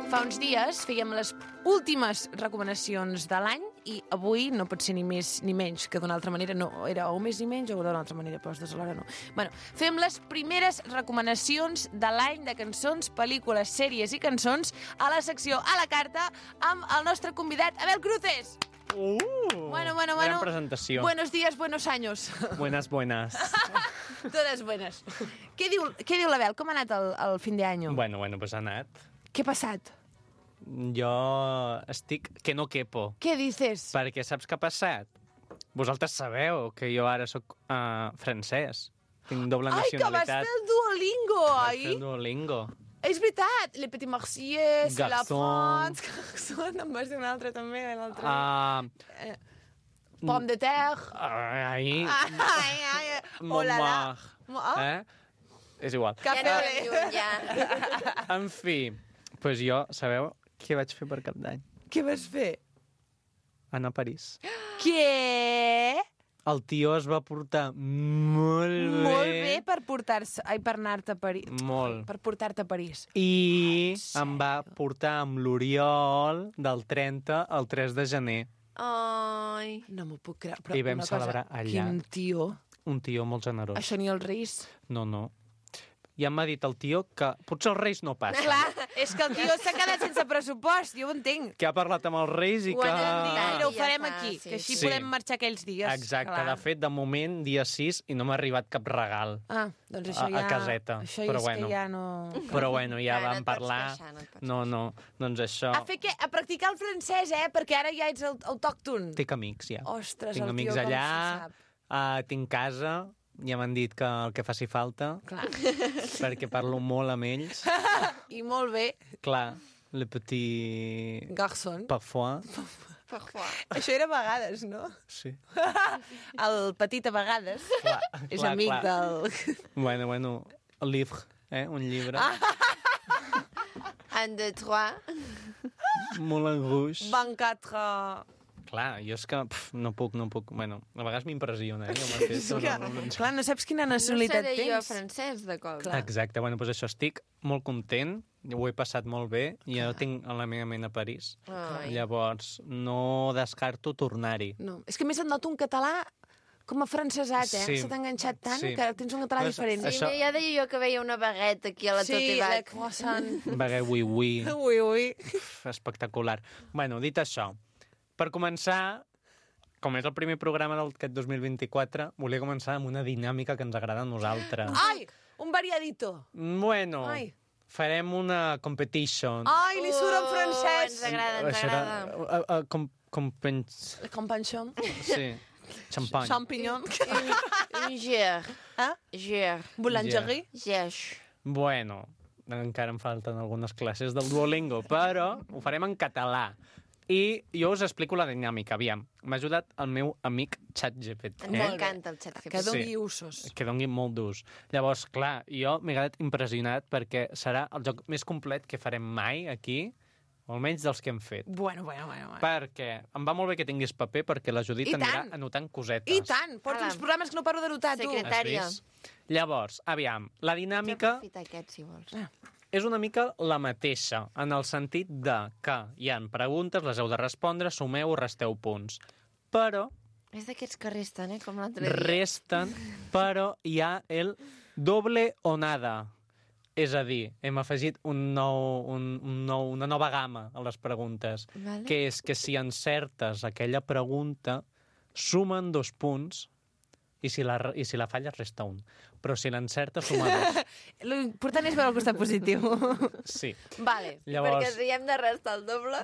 Fa uns dies fèiem les últimes recomanacions de l'any i avui no pot ser ni més ni menys, que d'una altra manera no era o més ni menys o d'una altra manera, però les dues alhora no. Bueno, fem les primeres recomanacions de l'any de cançons, pel·lícules, sèries i cançons a la secció a la carta amb el nostre convidat, Abel Cruces. Uh, Bueno, bueno, gran bueno. presentació. Buenos días, buenos años. Buenas, buenas. Totes buenas. Què diu, què diu l'Abel? Com ha anat el, el fin d'any? bueno, bueno, pues ha anat. Què ha passat? Jo estic que no quepo. Què dices? Perquè saps què ha passat? Vosaltres sabeu que jo ara sóc uh, francès. Tinc doble Ai, que vas nacionalitat. fer el Duolingo, Vaig oi? fer Duolingo. És veritat, Le Petit Marcier, c'est la Garçon. France, Garçon, em vas dir un altre també, l'altre. Uh, Pomme de terre. ai, Ai, ai, oh la la. Montmartre. Ah, Eh? És igual. cafè Ja au no lait. lluny, ja. En fi, pues jo, sabeu què vaig fer per cap d'any? Què vas fer? Anar a París. Què? El tio es va portar molt bé. Molt bé per portar-se... Ai, per anar-te a París. Molt. Per portar-te a París. I Ah, em va portar amb l'Oriol del trenta al tres de gener. Ai. No m'ho puc creure. Però I vam una cosa, celebrar allà. Quin tio. Un tio molt generós. Això ni els Reis. No, no. Ja m'ha dit el tio que potser els Reis no passen. Clar, és que el tio s'ha quedat sense pressupost, jo ho entenc. Que ha parlat amb els Reis i Ho que... han dit, Mira, ho ja farem està, aquí, sí. que així Sí. podem marxar aquells dies. Exacte, Clar. de fet, de moment, dia sis, i no m'ha arribat cap regal. Ah, doncs això A- a ja... caseta, Això però és bueno. que ja no... Però bueno, ja Ara no vam et pots parlar... queixar, no et pots No, no, doncs això... A fer què? A practicar el francès, eh? Perquè ara ja ets aut- autòcton. Tinc amics, ja. Ostres, Tinc el amics tio com allà, se sap. uh, tinc casa, ja m'han dit que el que faci falta, Clar. perquè parlo molt amb ells. I molt bé, Clar, le petit garçon. parfois, Parfois. Això era a vegades, no? sí. El petit a vegades Clar, és clar, amic clar. del... Bueno, bueno, el livre, eh? Un llibre. Ah. Un, deux, trois. Moulin Rouge. vingt-quatre... Clar, jo és que pf, no puc, no puc. Bueno, a vegades m'impressiona, eh? Jo m'he fet, És que, no, no, no. clar, no saps quina No nacionalitat seré jo tens. francès, de cop. Clar. Exacte, bueno, doncs això, estic molt content, ho he passat molt bé, i ja ho tinc a la meva ment a París. Ai. Llavors, no descarto tornar-hi. No, és que a més et noto un català com a francesat, eh? Sí. Se t'ha enganxat tant Sí. que tens un català Pues, diferent. Sí, Això- ja deia jo que veia una baguette aquí a la sí, Tote la Bac. croissant. Vague, ui, ui. Ui, ui. Uf, espectacular. Bueno, dit això, per començar, com és el primer programa d'aquest dos mil vint-i-quatre, volia començar amb una dinàmica que ens agrada a nosaltres. Ai, un variadito. Bueno, Ai. farem una competition. Ai, li surt en Oh, francès. ens agrada, ens Això era- agrada. Uh, uh, com, com pens... Companchon. Sí, champagne. Champignon. Un, un ger. Ah? Ger. Boulangerie. Geix. Bueno, encara em falten algunes classes del Duolingo, però ho farem en català. I jo us explico la dinàmica. Aviam, m'ha ajudat el meu amic ChatGPT. Ens Molt bé. encanta el xat Que G P T. doni Sí. usos. Que doni molt d'ús. Llavors, clar, jo m'he quedat impressionat perquè serà el joc més complet que farem mai aquí, o almenys dels que hem fet. Bueno, bueno, bueno. bueno. Perquè em va molt bé que tinguis paper perquè la Judit I anirà tant. anotant cosetes. I tant, porto Ala. uns programes que no paro de notar, tu. Secret- Has Secretària. vist? Llavors, aviam, la dinàmica Aprofita aquest, si vols. és una mica la mateixa, en el sentit de que hi han preguntes, les heu de respondre, sumeu o resteu punts. Però És d'aquests que resten, eh? Com l'altre dia. Resten, però hi ha el doble o nada. És a dir, hem afegit un nou, un, un nou, una nova gamma a les preguntes, Vale. que és que si encertes aquella pregunta, sumen dos punts i si la, i si la falles resta un. Però si l'encertes, suma dos. L'important és veure el costat positiu. Sí. Vale, Llavors- perquè si hem de restar el doble,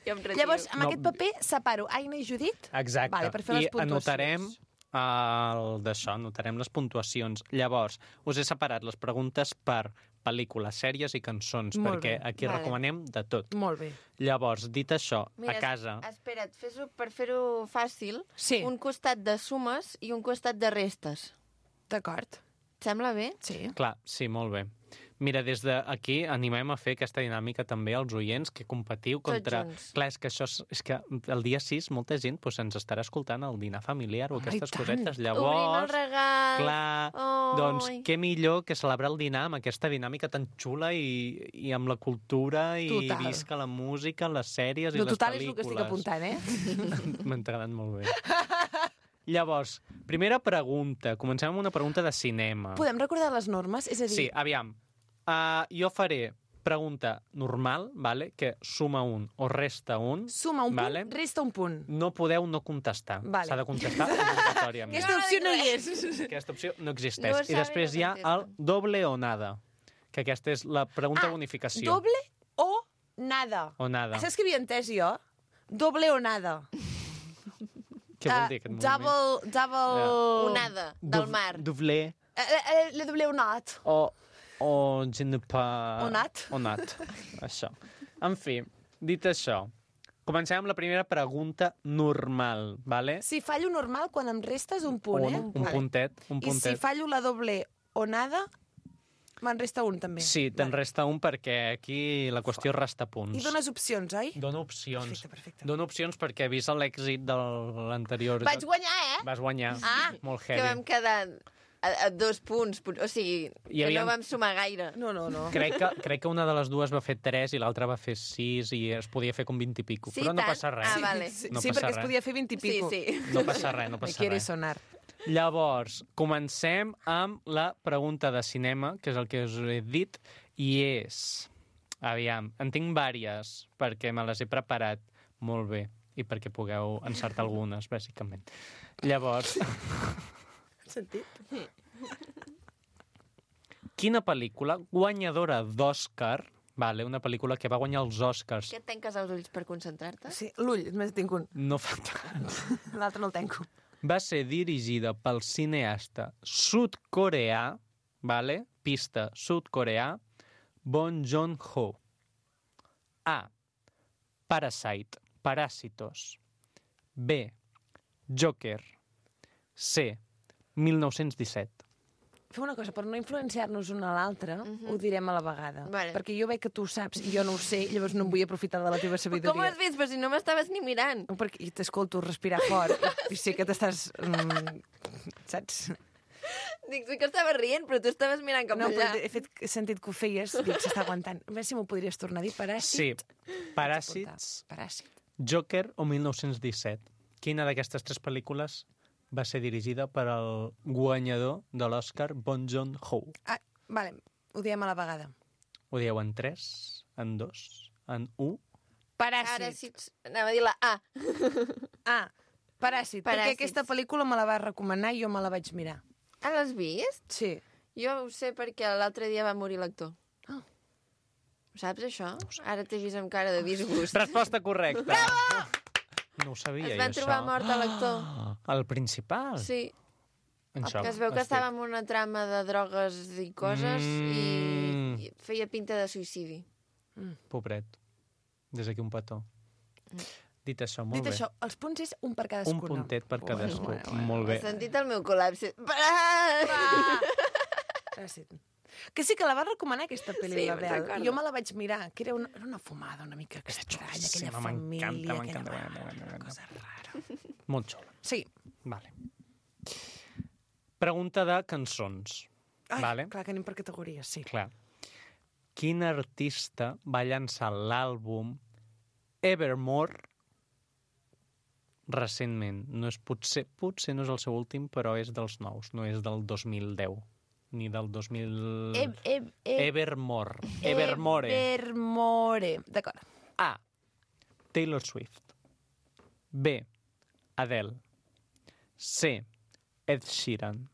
jo em retiro. Llavors, amb No. aquest paper separo Aina i Judit. Exacte. Vale, per fer les I puntuacions. anotarem el d'això, anotarem les puntuacions. Llavors, us he separat les preguntes per pel·lícules, sèries i cançons, Molt perquè bé. aquí Vale. recomanem de tot. Molt bé. Llavors, dit això, Mira, a casa... Espera't, fes-ho per fer-ho fàcil. Sí. Un costat de sumes i un costat de restes. D'acord. Et sembla bé? Sí. Clar, sí, molt bé. Mira, des d'aquí animem a fer aquesta dinàmica també als oients, que competiu contra... junts. Clar, és que això és, és que el dia sis molta gent doncs, ens estarà escoltant al dinar familiar o Home, aquestes i tant. cosetes. Obrint el Llavors, regal. clar, Oi. doncs què millor que celebrar el dinar amb aquesta dinàmica tan xula i, i amb la cultura i Total. visca la música, les sèries No, i les total és el pel·lícules. que estic apuntant, eh? M'ha agradat molt bé. Llavors, primera pregunta. Comencem amb una pregunta de cinema. Podem recordar les normes? És a dir, Sí, aviam. Uh, jo faré pregunta normal, vale? Que suma un o resta un. suma un vale? punt, resta un punt. No podeu no contestar. Vale. S'ha de contestar obligatòriament. Aquesta opció no hi és. Aquesta opció no existeix. No I sabe, després no hi ha el contesta. doble o nada, que aquesta és la pregunta Ah, bonificació. Doble o nada. O nada. Saps què havia entès jo? Doble o nada. Què vol Ah, dir aquest moviment? double, double... Onada, del Dov- mar. Doble Eh, eh, Le doble o nat. o... o je ne pas... Onat. Onat. Això. En fi, dit això, comencem amb la primera pregunta normal, vale? Si fallo normal, quan em restes un punt, un, eh? un Vale. puntet, un I si puntet. fallo la doble o nada, me'n resta un, també. Sí, te'n Vale. resta un perquè aquí la qüestió és restar punts. I dones opcions, oi? Dona opcions. Perfecte, perfecte. Dona opcions perquè, vist l'èxit de l'anterior... Vaig guanyar, eh? Vas guanyar. Ah, Molt Que heavy. vam quedar a, a dos punts. O sigui, Hi que havia- no vam sumar gaire. No, no, no. Crec que, crec que una de les dues va fer tres i l'altra va fer sis i es podia fer com vint i pico. Sí, Però no tant? passa res. Ah, vale. Sí, No sí passa perquè es res. podia fer vint i Sí, pico. sí. No passa res, no Me passa quiere res. sonar. Llavors, comencem amb la pregunta de cinema, que és el que us he dit, i és... Aviam, en tinc vàries, perquè me les he preparat molt bé i perquè pugueu encertar algunes, bàsicament. Llavors, Sentit? quina pel·lícula guanyadora d'Oscar, vale, una pel·lícula que va guanyar els Oscars, Que et tanques els ulls per concentrar-te? Sí, l'ull, només tinc un. no fa tant, L'altre no el tanco. va ser dirigida pel cineasta sud-coreà, vale? Pista sud-coreà, Bong Joon-ho. A. Parasite, Paràsitos. B. Joker. C. mil nou-cents disset. Fem una cosa, per no influenciar-nos una a l'altra, ho direm a la vegada. Vale. Perquè jo veig que tu ho saps i jo no ho sé, llavors no em vull aprofitar de la teva Com ho sabidoria. has vist? Però si no m'estaves ni mirant. Perquè t'escolto respirar fort i sé que t'estàs... Mm, saps? Dic, sí que estava rient, però tu estaves mirant cap No, allà. però he, fet, he sentit que ho feies, dic, s'està aguantant. A veure si m'ho podries tornar a dir, Sí, paràsit. Paràsits, Paràsit. Joker o mil nou-cents disset. Quina d'aquestes tres pel·lícules va ser dirigida per al guanyador de l'Oscar, Bong Joon-ho? Ah, vale, ho diem a la vegada. Ho dieu en tres, en dos, en un? Paràsit. Ara sí, anava a dir la A. Ah, Paràsit, perquè Paràsits. aquesta pel·lícula me la va recomanar i jo me la vaig mirar. Ah, l'has vist? Sí. Jo ho sé perquè l'altre dia va morir l'actor. Ah. Ho saps, això? Ara t'he vist amb cara de disgust. Resposta correcta. Bravo! No ho sabia, Es jo, van això. trobar mort a l'actor. Ah, el principal? Sí, Això, que es veu que estic- estava en una trama de drogues i coses Mm. i, i feia pinta de suïcidi. Pobret. Des d'aquí un petó. Dit això, molt Dit bé. això, els punts és un per Un cadascuna. puntet per Bueno, cadascú. bueno, bueno. Molt bé. Has sentit el meu col·lapse? Ah! Paràsit. Que sí que la va recomanar aquesta pel·li, Sí, la me'n Bel. recordo. Jo me la vaig mirar, que era una, era una fumada una mica estranya, aquella xulíssima, família, m'encanta, aquella... m'encanta, Bueno, m'encanta, una m'encanta. cosa rara. Molt xula. Sí. Vale. Pregunta de cançons. Ai, Vale. clar que anem per categories, sí. Clar. Quin artista va llançar l'àlbum Evermore recentment. No és potser, potser no és el seu últim, però és dels nous. No és del dos mil deu, ni del dos mil... E, e, e, Evermore. Evermore. Evermore. D'acord. A. Taylor Swift. B. Adele. C. Ed Sheeran.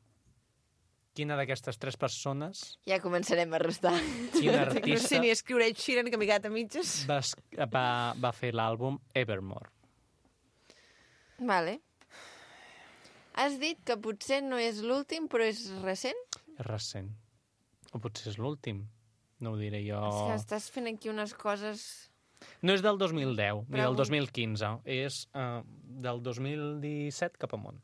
Quina d'aquestes tres persones, Ja començarem a restar. quin No artista sé ni escriure Ed Sheeran, que m'he quedat a mitges. va, es- va, va fer l'àlbum Evermore? Vale. Has dit que potser no és l'últim, però és recent? És recent. O potser és l'últim. No ho diré jo... És que estàs fent aquí unes coses... No és del dos mil deu, ni Però- del dos mil quinze. És uh, del dos mil disset cap amunt.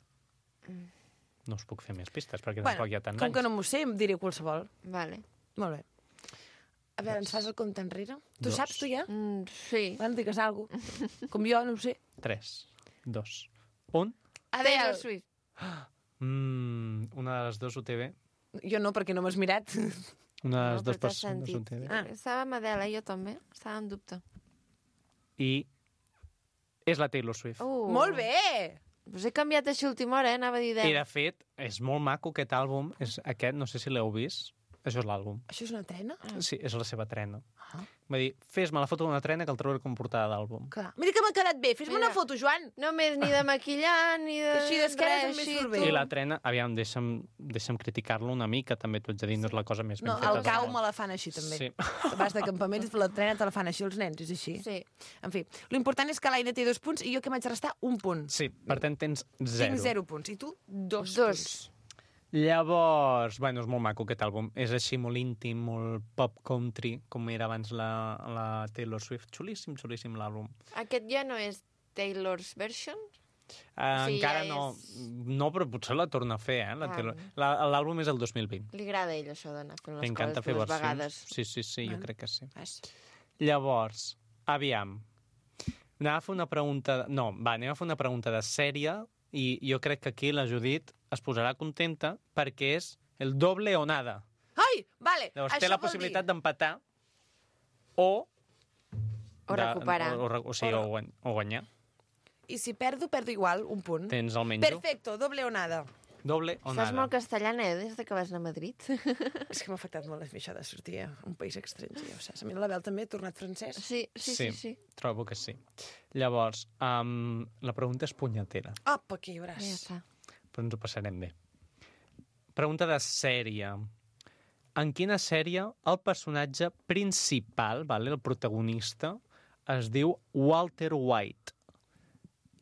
No us puc fer més pistes, perquè Bueno, tampoc hi ha tants com anys. que no m'ho sé, em diré qualsevol. Vale. Molt bé. A veure, ens fas el compte enrere? Tu Dos. saps, tu ja? Mm, sí. Bueno, digues alguna cosa. Com jo, no ho sé. Tres, dos, un... Taylor Swift. Mm, una de les dues ho té bé. Jo no, perquè no m'has mirat. Una de les No, dues però t'has persones ho sentit. té bé. Ah. Estava amb Adele, jo també. Estava en dubte. I és la Taylor Swift. Uh, Molt bé! Us he canviat així a última hora, eh? Anava a dir I, deu. de fet, és molt maco aquest àlbum. És aquest, no sé si l'heu vist. Això és l'àlbum. Això és una trena? Sí, és la seva trena. Ah. Va dir, fes-me la foto d'una trena que el trobaré com portada d'àlbum. Clar. Mira que m'ha quedat bé. Fes-me Mira. una foto, Joan. No més ni de maquillar, ni de... Així d'esquena res, també així, surt bé. tu. I la trena, aviam, deixa'm, deixa'm criticar-lo una mica, també t'ho haig de dir, no és la cosa més ben No, feta. el del cau món. me la fan així, també. Sí. Vas de campaments, la trena te la fan així els nens, és així. Sí. En fi, l'important és que l'Aina té dos punts i jo que m'haig de restar un punt. Sí, per tant tens zero. Tinc zero punts. I tu, dos, Dos. punts. Llavors, bueno, és molt maco aquest àlbum. És així molt íntim, molt pop country, com era abans la, la Taylor Swift. Xulíssim, xulíssim l'àlbum. Aquest ja no és Taylor's version? Uh, Sí, encara ja no, és- no, però potser la torna a fer, eh? La Ah. Taylor. La- L'àlbum és el dos mil vint. Li agrada a ell, això, d'anar fent les Li encanta coses fer dues versions. vegades. Sí, sí, sí, jo Bueno. crec que sí. Vas. Llavors, aviam. Anem a fer una pregunta... No, va, anem a fer una pregunta de sèrie i jo crec que aquí la Judit es posarà contenta perquè és el doble o nada. Ai, vale. Llavors Això té la vol possibilitat dir... d'empatar o... O recuperar. O, o, o, sigui, o, guany, o guanyar. I si perdo, perdo igual, un punt. Tens el menjo. Perfecto, doble o nada. Doble o Estàs nada. molt castellana, eh, des de que vas anar a Madrid. És que m'ha afectat molt això de sortir a un país estranger, ja ho saps. A mi l'Abel també ha tornat francès. Sí, sí, sí, sí. trobo que sí. Llavors, um, la pregunta és punyetera, Apa, aquí hi hauràs. Ja està. però ens ho passarem bé. Pregunta de sèrie. En quina sèrie el personatge principal, vale, el protagonista, es diu Walter White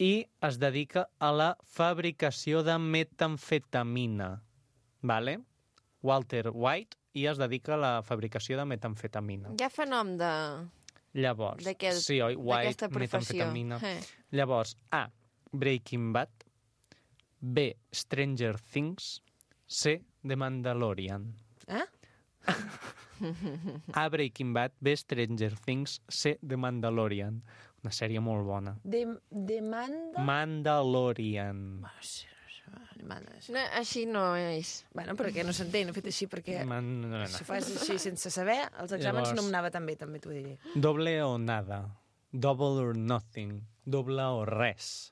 i es dedica a la fabricació de metamfetamina, vale? Walter White i es dedica a la fabricació de metamfetamina. Ja fa nom de... Llavors, D'aquest- sí, oi? White, d'aquesta professió. metamfetamina. Eh. Llavors, A, Breaking Bad, B, Stranger Things, C, The Mandalorian. Eh? A, Breaking Bad, B, Stranger Things, C, The Mandalorian. Una sèrie molt bona. De, demanda... Mandalorian. Ah, sí, això, demanda. No, així no és. Bueno, però que no s'entén, he fet així perquè... Man... No, no, Si no. fas així sense saber, els exàmens Llavors- no m'anava tan bé, també t'ho diré. Doble o nada. Double or nothing. Doble o res.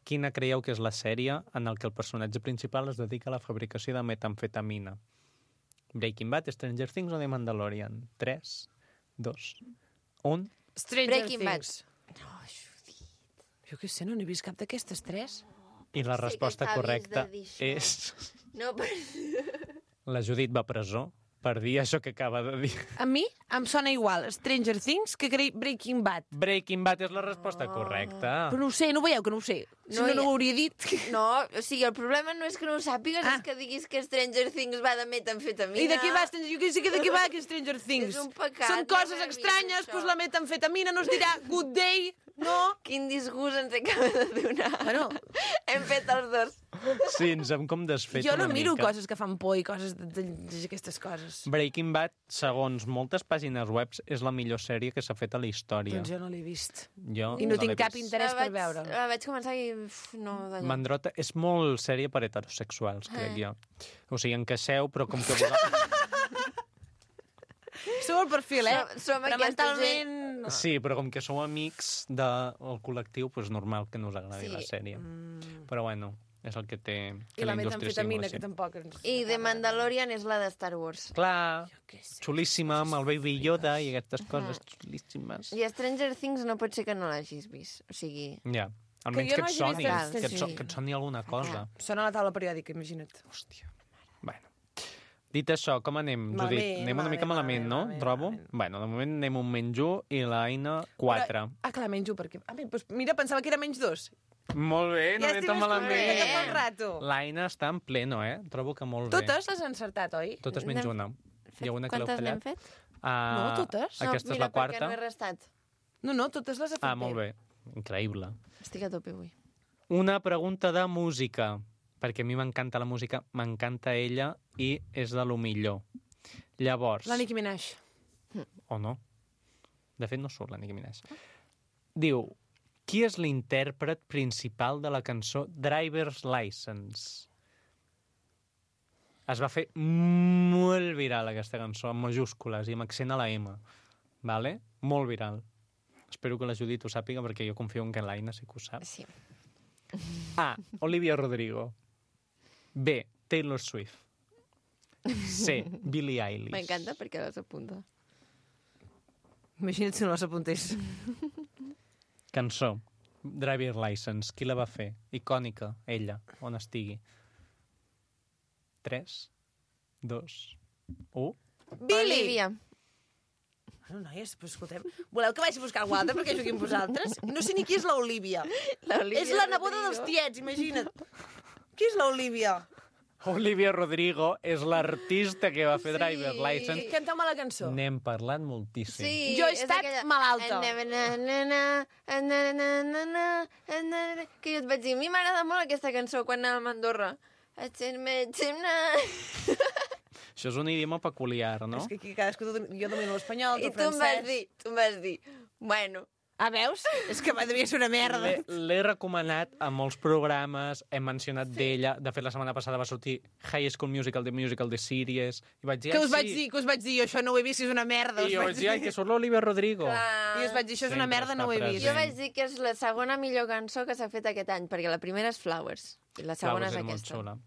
Quina creieu que és la sèrie en el que el personatge principal es dedica a la fabricació de metamfetamina? Breaking Bad, Stranger Things o The Mandalorian? tres, dos, un... Stranger Breaking Bad. Things. Jo què sé, no n'he vist cap d'aquestes tres. I la Sí que resposta acabis correcta de dir això. és... No, però... La Judit va a presó per dir això que acaba de dir. A mi em sona igual Stranger Things que cre- Breaking Bad. Breaking Bad és la resposta correcta. Però no ho sé, no ho veieu que no ho sé. Si No no, hi no ha- ho hauria dit. No, o sigui, el problema no és que no ho sàpigues, Ah. és que diguis que Stranger Things va de metamfetamina. I de què va, Stranger- jo que sé que de què va que Stranger Things. És un pecat, Són no coses haver vist estranyes, això. doncs la metamfetamina no es dirà good day, no? Quin disgust ens acaba de donar. Bueno. Hem fet els dos. Sí, ens hem com desfet Jo no una miro mica. coses que fan por i coses d'aquestes coses. Breaking Bad, segons moltes pàgines webs, és la millor sèrie que s'ha fet a la història. Doncs jo no l'he vist. Jo I no l'he tinc cap vist. interès La per vaig- veure. La vaig començar i... Uf, no, d'allò. Mandrota és molt sèrie per heterosexuals, crec Eh. jo. O sigui, encaixeu, però com que... vosaltres- Som el perfil, eh? Som- som Però aquesta mentalment... no. Sí, però com que sou amics del col·lectiu, doncs normal que no us agradi Sí. la sèrie. Mm. Però bueno, és el que té que I la la indústria sigui metamfetamina, molt que així. tampoc... Ens... I The Mandalorian és la de Star Wars. Clar, què sé. xulíssima, amb el Baby Yoda i aquestes coses xulíssimes. I Stranger Things no pot ser que no l'hagis vist. O sigui... Ja, Que almenys jo que, no et hagi soni, vist que, et so, sí. que et soni alguna cosa. Sona a la taula periòdica, imagina't. Hòstia. Bueno. Dit això, com anem, Malament, Judit? Anem una mica malament, malament, no? malament, Trobo? malament. Bueno, de moment anem un menys un i l'Aina quatre. Però, ah, clar, menys un, perquè... Ah, bé, doncs mira, pensava que era menys dos. Molt bé, no ja anem estic tan més malament. contenta que fa un rato. L'Aina està en pleno, eh? Trobo que molt bé. Totes les han encertat, oi? Totes menys N'hem una. Hi ha una que l'heu Quantes n'hem fallat. fet? Uh, No, totes. Aquesta no, és mira, la quarta. perquè no he restat. No, no, totes les ha fet Ah, molt bé. Increïble. Estic a tope avui. Una pregunta de música, perquè a mi m'encanta la música, m'encanta ella i és de lo millor. Llavors... La Nicki Minaj. O no? De fet, no surt la Nicki Minaj. Diu, qui és l'intèrpret principal de la cançó Driver's License? Es va fer molt viral, aquesta cançó, amb majúscules i amb accent a la M. Vale? Molt viral. Espero que la Judit ho sàpiga, perquè jo confio en que l'Aina sí que ho sap. Sí. A. Olivia Rodrigo. B. Taylor Swift. C. Billie Eilish. M'encanta perquè les apunta. Imagina't si no les apuntés. Cançó. Driver's License. Qui la va fer? Icònica. Ella. On estigui. tres, dos, u... Billy! Olivia. Bueno, noies, però escoltem, voleu que vagi a buscar algú altre perquè jugui amb vosaltres? No sé ni qui és l'Olivia. L'Olivia És la neboda Rodrigo. dels tiets, imagina't. Qui és l'Olivia? Olivia Rodrigo és l'artista que va fer Driver's License. Canteu-me la cançó. N'hem parlat moltíssim. Sí, Jo he és estat aquella- malalta. Na, na, na, na, na, na, na, na, na, na, que jo et vaig dir, a mi m'agrada molt aquesta cançó quan anàvem a Andorra. Això és un idioma peculiar, no? És que aquí cadascú... Jo domino l'espanyol, I tu tu em vas francès. dir, tu em vas dir, bueno, Ah, veus? És que devia ser una merda. L'he l'he recomanat a molts programes, hem mencionat d'ella, de fet la setmana passada va sortir High School Musical, The Musical, The Series, i vaig dir, Que "Ai, us vaig sí". dir, que us vaig dir, jo això no ho he vist, és una merda. I us jo vaig dir, ai, que surt l'Olivia Rodrigo. I us vaig dir, això és una Sempre merda, no ho he està vist. jo present. vaig dir que és la segona millor cançó que s'ha fet aquest any, perquè la primera és Flowers, i la segona Flowers és és molt aquesta. xula.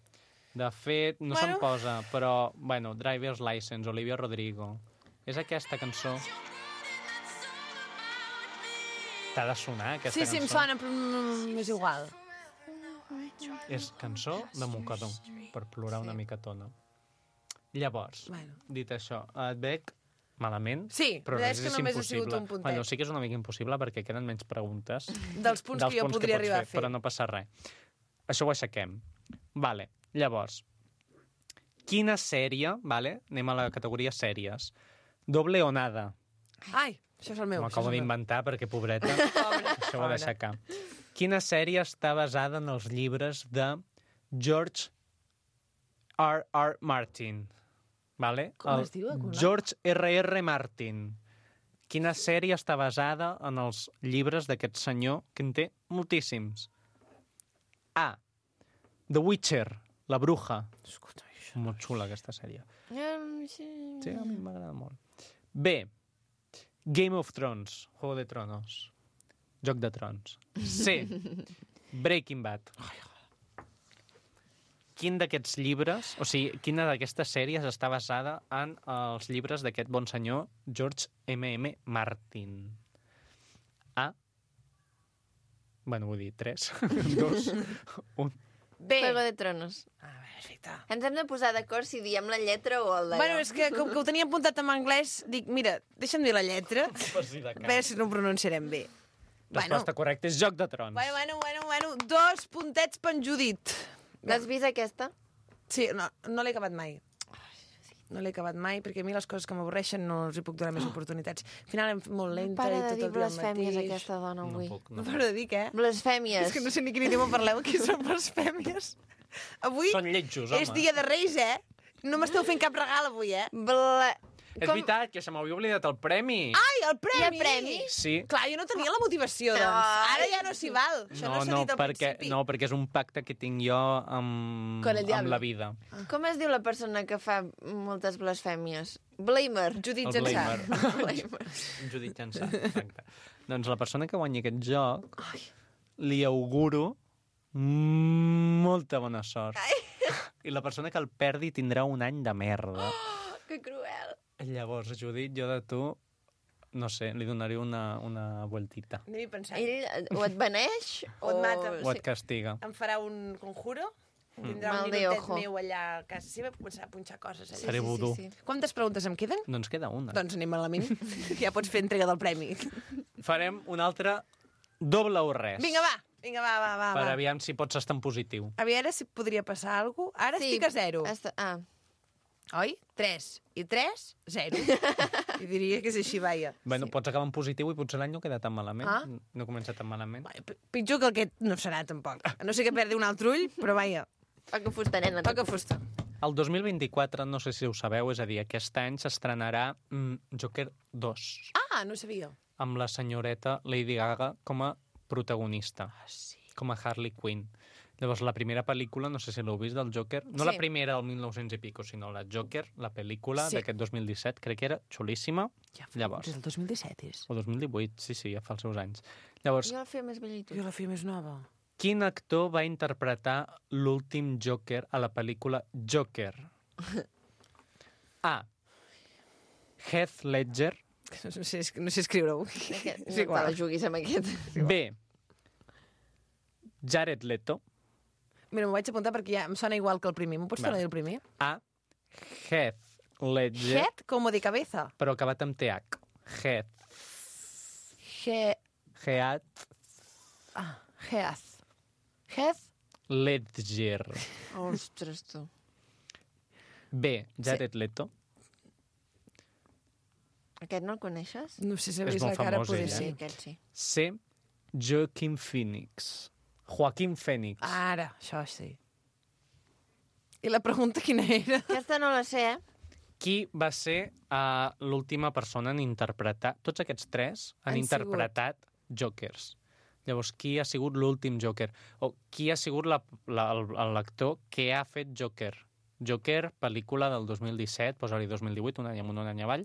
De fet, no Bueno. se'n posa, però, bueno, Driver's License, Olivia Rodrigo. És aquesta cançó. T'ha de sonar, aquesta Sí, sí, em cançó. sona, però mm, és igual. És cançó de mocador, per plorar una mica tona. Llavors, Bueno. dit això, et veig malament, Sí, però la res veritat és que és només ha sigut impossible. un puntet. Bueno, sí que és una mica impossible perquè queden menys preguntes Dels punts que jo podria pots arribar a fer. Però no passa res. Això ho aixequem. Vale, llavors, quina sèrie, vale? Anem a la categoria sèries. Doble o nada. Ai, això és el meu. M'ho això acabo és el meu. d'inventar perquè, pobreta, això ho he d'aixecar. Quina sèrie està basada en els llibres de George R. R. Martin? Vale? Com El es diu, el cognom? George R. R. Martin. Quina sèrie està basada en els llibres d'aquest senyor, que en té moltíssims? A. The Witcher, La Bruja. Escolta, això. Molt xula, aquesta sèrie. Um, sí. Sí, a mi m'agrada molt. B. Game of Thrones, Juego de Tronos. Joc de Trons. C. Breaking Bad. Quin d'aquests llibres, o sigui, quina d'aquestes sèries està basada en els llibres d'aquest bon senyor George M. M. Martin? A. Bueno, vull dir, tres, dos, un. Bé. Juego de Tronos. Ah, perfecte. Ens hem de posar d'acord si diem la lletra o el d'allò. Bueno, és que com que ho tenia apuntat en anglès, dic, mira, deixa'm dir la lletra, Per si de a veure si no ho pronunciarem bé. Bueno, Resposta correcta és Joc de Trons. bueno, bueno, bueno, bueno, dos puntets per en Judit. L'has vist aquesta? Sí, no, no l'he acabat mai. No l'he acabat mai, perquè a mi les coses que m'avorreixen no els hi puc donar més oportunitats. Al final em fa molt lenta Para i de tot dir el dia el blasfèmies, mateix. aquesta dona, No avui. puc, No no. paro de dir què? Blasfèmies. És que no sé ni quin idioma parleu, aquí són blasfèmies. Avui Són lletjos, home. és dia de Reis, eh? No m'esteu fent cap regal avui, eh? Bla... És veritat, que se m'havia oblidat el premi. Ai, el premi! Hi ha premi? Sí. Clar, jo no tenia la motivació, doncs. Ara ja no s'hi val. Això no, No, s'ha no, dit al perquè, principi. no, perquè és un pacte que tinc jo amb, Con el amb diablo. la vida. Com es diu la persona que fa moltes blasfèmies? Blamer. Judit El Jansà. Blamer. Blamer. Judit Jansà, exacte. Doncs la persona que guanyi aquest joc li auguro molta bona sort. I la persona que el perdi tindrà un any de merda. Oh, que cruel. Llavors, Judit, jo de tu, no sé, li donaré una, una vueltita. Anem-hi pensant. Ell o et beneix O et mata. O et castiga. Em farà un conjuro, tindrà Mal un de minutet ojo. meu allà a casa seva i començarà a punxar coses. Allà. Faré vudú. sí, sí. Quantes preguntes em queden? Doncs queda una. Doncs anem a la mini. Ja pots fer entrega del premi. Farem un altre doble o res. Vinga, va. Vinga, va, va, va. Per va. aviam si pots estar en positiu. A veure si podria passar alguna cosa. Ara estic a zero. Està... Ah, Oi? Tres. I tres, zero. I diria que és així, vaja. Bueno, pots acabar en positiu i potser l'any no queda tan malament. Ah. No comença tan malament. Vaja, p- pitjor que aquest no serà, tampoc. A no sé que perdi un altre ull, però vaja, toca fusta, nena. toca fusta. El dos mil vint-i-quatre, no sé si ho sabeu, és a dir, aquest any s'estrenarà mm, Joker dos, Ah, no sabia. amb la senyoreta Lady Gaga com a protagonista, Ah, sí. com a Harley Quinn. Llavors, la primera pel·lícula, no sé si l'heu vist, del Joker, no Sí. la primera del mil nou-cents i pico, sinó la Joker, la pel·lícula Sí. d'aquest dos mil disset, crec que era xulíssima. Ja fa, Llavors. Des del dos mil disset és. O dos mil divuit, sí, sí, ja fa els seus anys. Llavors, Jo el feia més vell i tu. Jo la feia més nova. quin actor va interpretar l'últim Joker a la pel·lícula Joker? A. Heath Ledger. No sé, no sé escriure-ho. Aquest, És no te igual. la juguis amb aquest. B. Jared Leto. Mira, m'ho vaig apuntar perquè ja em sona igual que el primer. M'ho pots Vale. tornar a dir el primer? A. Heath Ledger. Head como de cabeza. Però acabat amb T H. Heath. He... Heath Ah, Heath. Heath? Ledger. Ostres, tu. B. Jared Leto. Aquest no el coneixes? No sé si És veus molt la cara, famós, poder ell, eh? Sí, ser. aquest sí. C. Joaquin Phoenix. Joaquin Phoenix. Ara, això sí. I la pregunta quina era? Aquesta no la sé, eh? Qui va ser uh, l'última persona en interpretar... Tots aquests tres han, Han interpretat Jokers. Llavors, qui ha sigut l'últim Joker? O qui ha sigut la- la- el- l'actor que ha fet Joker? Joker, pel·lícula del dos mil disset, posa-li dos mil divuit, un any amunt, un any avall.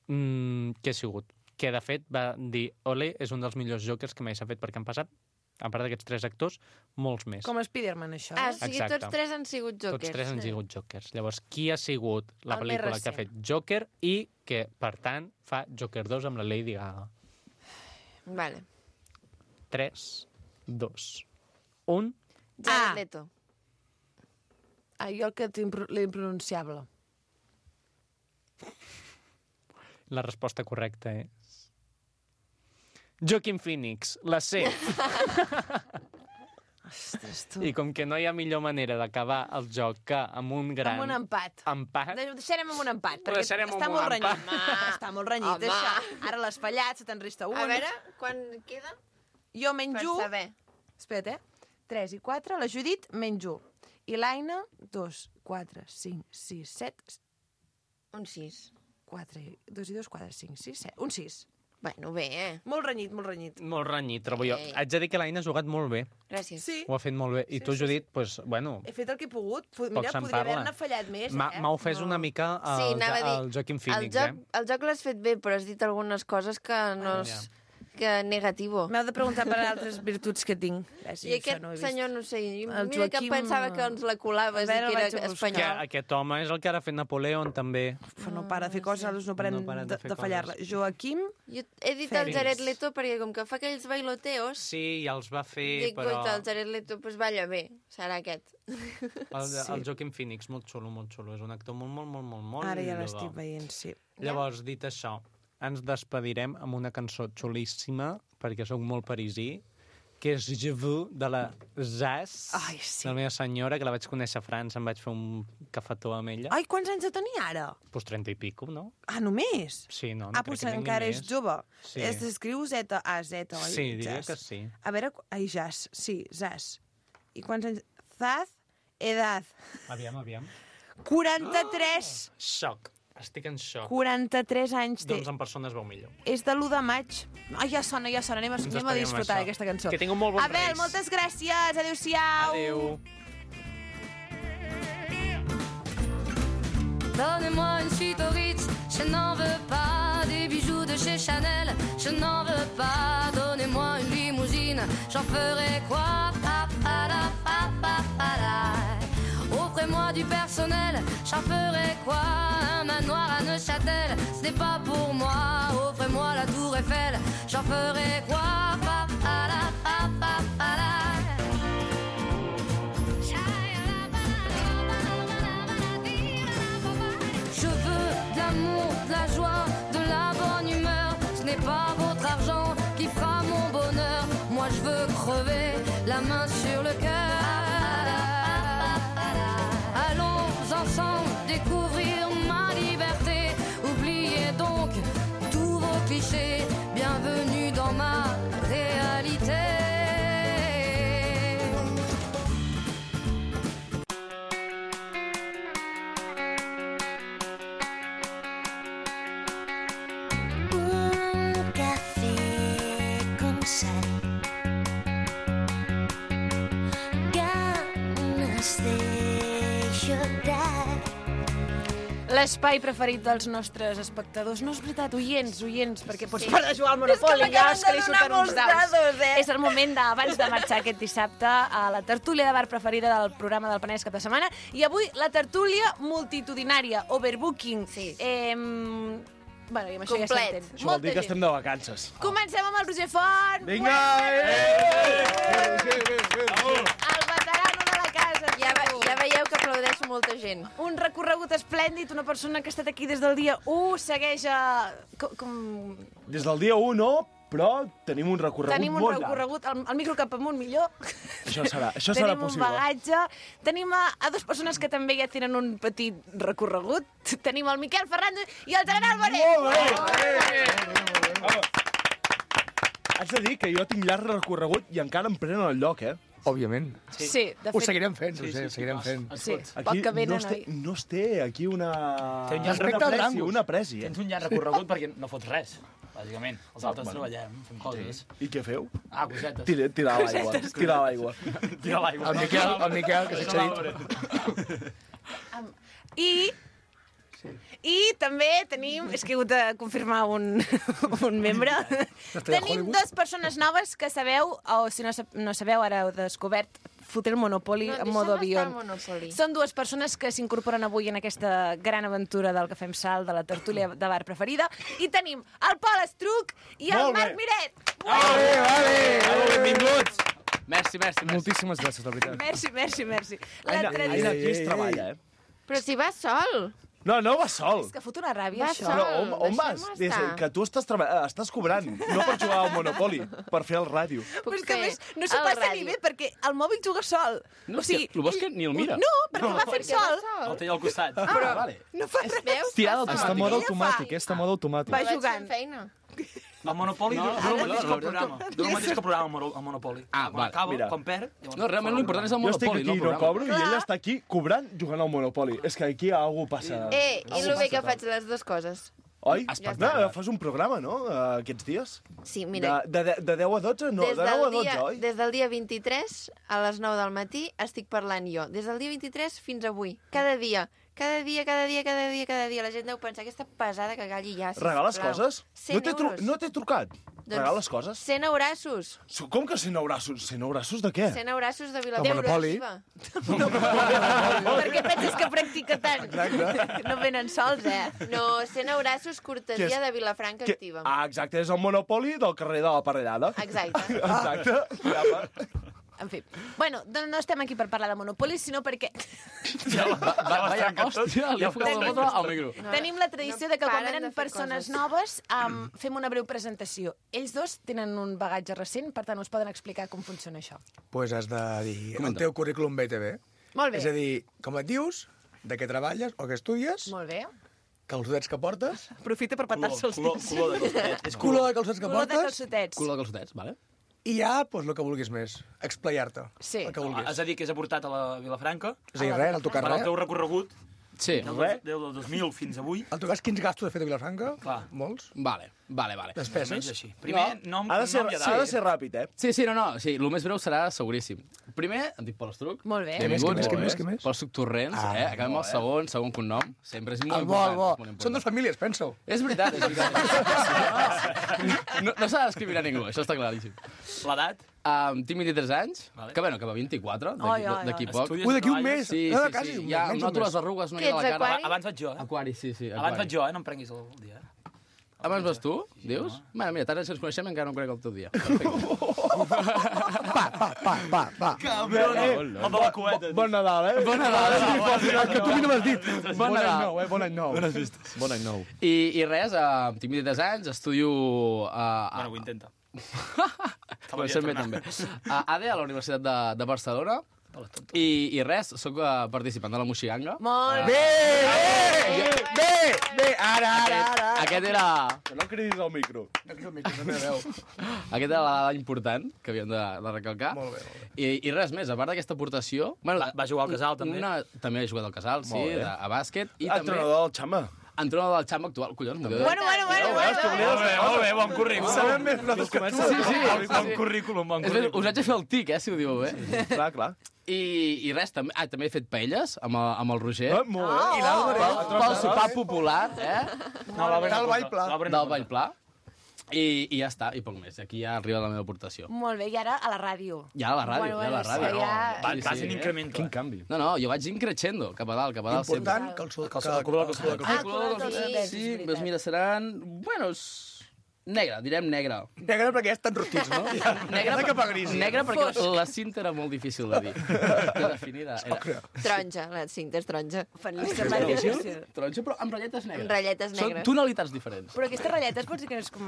Mm, què ha sigut? Que, de fet, va dir, ole, és un dels millors Jokers que mai s'ha fet, perquè han passat, a part d'aquests tres actors, molts més. Com Spiderman, això. Ah, eh? o sigui, Exacte. tots tres han sigut jokers. Tots tres han sigut Jokers. Llavors, qui ha sigut la El més pel·lícula que ha recent. fet Joker i que, per tant, fa Joker dos amb la Lady Gaga? Vale. tres, dos, un... Jared Ah. Leto. Ah, jo el que tinc pro- l'impronunciable. La resposta correcta és... Joaquin Phoenix, la C. Ostres, tu. I com que no hi ha millor manera d'acabar el joc que amb un gran Amb un empat. empat, De- Deixarem amb un empat, Ho perquè deixarem està amb molt un renyit. empat. Home, està molt renyit, Home. això. Ara l'has fallat, se te'n resta un. A veure, quan queda? Jo Per menjo... saber. Espera't, eh? tres i quatre, la Judit menjo. I l'Aina, dos, quatre, cinc, sis, set, Un sis. quatre, dos i dos, quatre, cinc, sis, set, un sis. Bueno, bé, eh? Molt renyit, molt renyit. molt renyit, trobo jo. Ei. Haig de dir que l'Aina ha jugat molt bé. Gràcies. Sí, Ho ha fet molt bé. I Sí, tu, sí, Judit, pues, bueno, he fet el que he pogut. Pu- poc Mira, se'n podria parla. haver-ne fallat més, M'ha eh? m'ha ofès No. una mica el, Sí, anava a dir, el Joaquin El Phoenix, joc, eh? el joc l'has fet bé, però has dit algunes coses que no... Ja. és- que negativo. M'heu de preguntar per altres virtuts que tinc. Eh, sí, I això aquest no ho he vist. senyor, no sé, El mira que Joaquim, pensava que ens la colaves a i veure, que el vaig a era buscar. Que espanyol. aquest home és el que ara ha fet Napoleon, també. Uf, no para de fer coses, nosaltres no parem No paren de, de fer de fallar-la. coses. Joaquim, Jo he dit el Fènix. Jared Leto perquè com que fa aquells bailoteos, Sí, ja els va fer, dic, però... guaita, el Jared Leto pues balla bé, serà aquest. El, el Joaquin Phoenix, molt xulo, molt xulo. És un actor molt, molt, molt, molt, molt ara ja rodó. l'estic veient, sí. Llavors, dit això, ens despedirem amb una cançó xulíssima, perquè sóc molt parisí, que és Je veux, de la Zaz, Ai, sí. de la meva senyora, que la vaig conèixer a França, em vaig fer un cafetó amb ella. Ai, quants anys de tenir ara? Pues trenta i pico, no? Ah, només? Sí, no, no ah, crec potser que tingui encara més. és jove. Sí. Es escriu Z A Z, oi? Sí, diria Zaz. que sí. A veure... qu- Ai, Zaz, sí, Zaz. I quants anys... Zaz, edad. Aviam, aviam. quaranta-tres! Xoc. Estic en xoc. quaranta-tres anys té. Doncs en persona es veu millor. És de l'u de maig. Ai, ja sona, ja sona. Anem a, Ens anem a despedim amb disfrutar això. d'aquesta cançó. Que tingueu molt bons Abel, Reis. moltes gràcies. Adéu-siau. Adéu. Donnez-moi une suite au Ritz, je n'en veux pas. Des bijoux de chez Chanel, je n'en veux pas. Donnez-moi une limousine, j'en ferai quoi? Pa, pa, la, pa, pa, pa, la. Offrez-moi du personnel, j'en ferai quoi? Un manoir à Neuchâtel, ce n'est pas pour moi. Offrez-moi la tour Eiffel, j'en ferai quoi? Pa, pa, la, pa, pa, pa, la. Je veux de l'amour, de la joie, de la bonne humeur. Ce n'est pas votre argent qui fera mon bonheur. Moi je veux crever la main sur le cœur. Allons ensemble découvrir ma liberté. Oubliez donc tous vos clichés. Bienvenue dans ma réalité. L'espai preferit dels nostres espectadors. No és veritat, oients, oients, perquè pots Sí. parar de jugar al Monopoli. És que ja m'acaben és que li de surten donar uns molts daus. dados, eh? És el moment d'abans de marxar aquest dissabte a la tertúlia de bar preferida del programa del Penedès cap de setmana. I avui la tertúlia multitudinària, overbooking. Sí. Eh, bueno, i amb això Complet. ja s'entén. Això vol dir que estem de vacances. Comencem amb el Roger Font. Vinga! El veterano de la casa. Ja, ve- ja veieu que aplaudeixo molta gent. Un recorregut esplèndid, una persona que ha estat aquí des del dia u, segueix a... Com, com... Des del dia u no, però tenim un recorregut Tenim un molt llarg. recorregut, el, el micro cap amunt millor. Això serà, això serà Tenim un possible. bagatge. Tenim a, a dues persones que també ja tenen un petit recorregut. Tenim el Miquel Ferrando i el Gerard Álvarez. Molt bé! Vamos. Haig de dir que jo tinc llarg recorregut i encara em prenen el lloc, eh? Òbviament. Sí, sí de fet. Ho seguirem fent, sí, ho seguirem fent. Sí, Aquí poc que venen, no, es té, oi? no es té aquí una... Té un llarg una respecte al presi, Drangus. una presi, eh? Tens un llarg recorregut perquè no fots res, bàsicament. Els altres bueno. treballem, fem coses. I què feu? Ah, cosetes. Tira, tira a l'aigua, tira a l'aigua. Tira l'aigua. El Miquel, el Miquel, que s'ha dit. I... I també tenim, és que he hagut de confirmar un, un membre, tenim dues persones noves que sabeu, o si no, sab- no sabeu, ara heu descobert, fotre el Monopoli No, en deixa'm modo estar avió. al Monopoly. Són dues persones que s'incorporen avui en aquesta gran aventura del Cafè amb Sal, de la tertúlia de bar preferida. I tenim el Pol Estruc i el Molt bé. Marc Miret. Vale, vale. Benvinguts! Merci, merci, merci. Moltíssimes gràcies, de veritat. Merci, merci, merci. La Aina, tradició... Aina, aquí es treballa, eh? Però si vas sol. No, no vas sol. És que fot una ràbia, Va això. sol. Però on, on vas? deixem-ho Des, estar. que tu estàs, treba- estàs cobrant, no per jugar al Monopoli, per fer el ràdio. Puc Però és que a fer més no s'ho el passa ràdio. ni bé perquè el mòbil juga sol. No, és que el bo és que ni el mira. No, perquè va fent Perquè va sol. sol. El té al costat. Ah, però vale. No fa res. Veus? Tirada Va sol. Està en mode Ella fa. automàtic, eh? Està en mode automàtic. Va Vaig jugant. fent feina. El Monopoli no, no, no, el mateix que el programa. No el mateix que el programa, el Mono- el Monopoli. Ah, quan val, acaba, mira. quan perd... llavors No, realment l'important és el Jo estic Monopoli, aquí no i el no programa. cobro i ella està aquí cobrant jugant al Monopoli. És que aquí algú passa... Eh, i algú el bé passa que faig les dues coses. Oi? Espectacular. No, fas un programa, no?, eh, aquests dies? Sí, mira, De, de, de deu a dotze? No, des, de nou a del dotze, dia, oi? des del dia vint-i-tres a les nou del matí estic parlant jo. Des del dia vint-i-tres fins avui. Cada dia. Cada dia, cada dia, cada dia, cada dia. La gent deu pensar, aquesta pesada que calli ja, sisplau. Regales coses? cent No t'he tru euros. no t'he trucat? Doncs Regales coses? cent eurassos. Com que cent eurassos? cent eurassos de què? cent eurassos de El Vilafranca. Monopoli. Per què penses que practica tant? Exacte. No venen sols, eh? No, cent eurassos Que cortesia és- de Vilafranca Que... activa. Ah, exacte, és el Monopoli del carrer de la Parellada. Exacte. Exacte. Ja, va. En fi. Bueno, doncs no estem aquí per parlar de Monopoly, sinó perquè Va, va, vaya, hòstia, li ha focat la foto al micro. No, tenim la tradició de que no quan paren venen de fer persones coses. noves um, fem una breu presentació. Ells dos tenen un bagatge recent, per tant us poden explicar com funciona això. Pues has de dir Comenta. el teu currículum B T V. Molt bé. És a dir, com et dius, de què treballes o què estudies, Molt bé. calçotets que portes, Aprofita per petar-se els Color, dits. color de calçotets. És color de calçotets que Color de portes, calçotets. Culo de calçotets, vale? i ja, pues, el que vulguis més. Explayar-te. Sí. El que Ah, vulguis. és a dir, que és aportat a la Vilafranca. És a dir, res, no tocar Per al res. teu recorregut, Sí. Del, Res. del dos mil fins avui. En tot cas, quins gastos he fet a Vilafranca? Clar. Molts. Vale, vale, vale. Despeses. Almenys així. Primer, nom, Ha de ser, nom i ha de edat. ser ràpid, eh? Sí, sí, no, no, sí, el més breu serà seguríssim. Primer, em dic Pol Estruc. Molt bé. Què més, què més, què Benvingut. més, què més? Pol Estruc Torrents, Ah, eh? Acabem bo, el segon, segon cognom. Sempre és molt El bo, important. el bo. és molt important. Són dues famílies, pensa-ho. És veritat, és veritat. No, no s'ha de discriminar ningú, això està claríssim. L'edat? Um, tinc vint-i-tres anys, Vale. que bueno, que va vint-i-quatre, Ai, d'aquí ai, d'aquí ai. poc. Estudies Ui, d'aquí un treballes? mes. Sí, No, sí, quasi, sí. un Ja mes, menys noto un les mes. arrugues, no Què hi ha ets, la cara. aquari? Abans vaig jo, eh? Aquari, sí, sí. Abans aquari. vaig jo, eh? No em prenguis el dia. eh? Abans vas tu, dius? Bueno, mira, tant ens coneixem encara no em conec el teu dia. Pa, pa, pa, pa, pa. Cabrón, eh? El de la cueta. Bon Nadal, eh? Bon Nadal. Que tu a mi no m'has dit. Bon Bon any Nadal. nou, eh? Bon any nou. Bones festes. Bon any nou. I, i res, uh, tinc vint-i-tres anys, estudio... Uh, Bueno, ho intenta. Comencem bé, també. A A D E, a la Universitat de, de Barcelona. I, I res, sóc uh, participant de la Moixiganga. Molt Bé, bé, bé, bé, ara, ara, ara. Aquest era... Que no cridis al micro. Aquest era la dada important que havíem de, de recalcar. Molt bé, molt bé. I, I res més, a part d'aquesta aportació... Bueno, Va- va jugar al Casal, també. Una, també he jugat al Casal, sí, Molt bé. de, a bàsquet. I Entrenador del Xama. també entrenador del Xamba actual. Collons, m'ho Bueno, bueno, bueno, bueno. Molt bé, molt bé, bon currículum. Sabem més nosaltres que tu. Sí, sí, Bon, sí, bon sí. currículum, bon És més, us currículum. haig de fer el tic, eh, si ho diu bé. Clar, clar. I, i res, també, ah, també he fet paelles amb el, amb el Roger. Eh, molt bé. I l'Àlvaro. Pel, pel sopar popular, eh? No, l'Albert Del no Vall porta. Pla. L'Albert no Del porta. Vall Pla. I, I ja està, i poc més. Aquí ja arriba la meva aportació. Molt bé, i ara a la ràdio. Ja a la ràdio, Bueno, ja a la bueno, ràdio. sí, ja- Va, Sí, vas sí, en eh? increment. Quin canvi. No, no, jo vaig increixendo, cap a dalt, cap a dalt Important que el sud... Que el calculador, que el calculador. Ah, calculador, sí, sí, és Sí, veritat. doncs mira, seran... Bueno, és... negre, direm negre. Negre perquè ja estan rostits, no? Negre, Ja cap a gris. negre perquè Fosc. la cinta era molt difícil de dir. De definir. Era... Taronja, la cinta és taronja. Fan llista molt difícil. Taronja, però amb ratlletes negres. Amb ratlletes Són negres. tonalitats diferents. Però aquestes ratlletes pots dir que no és com...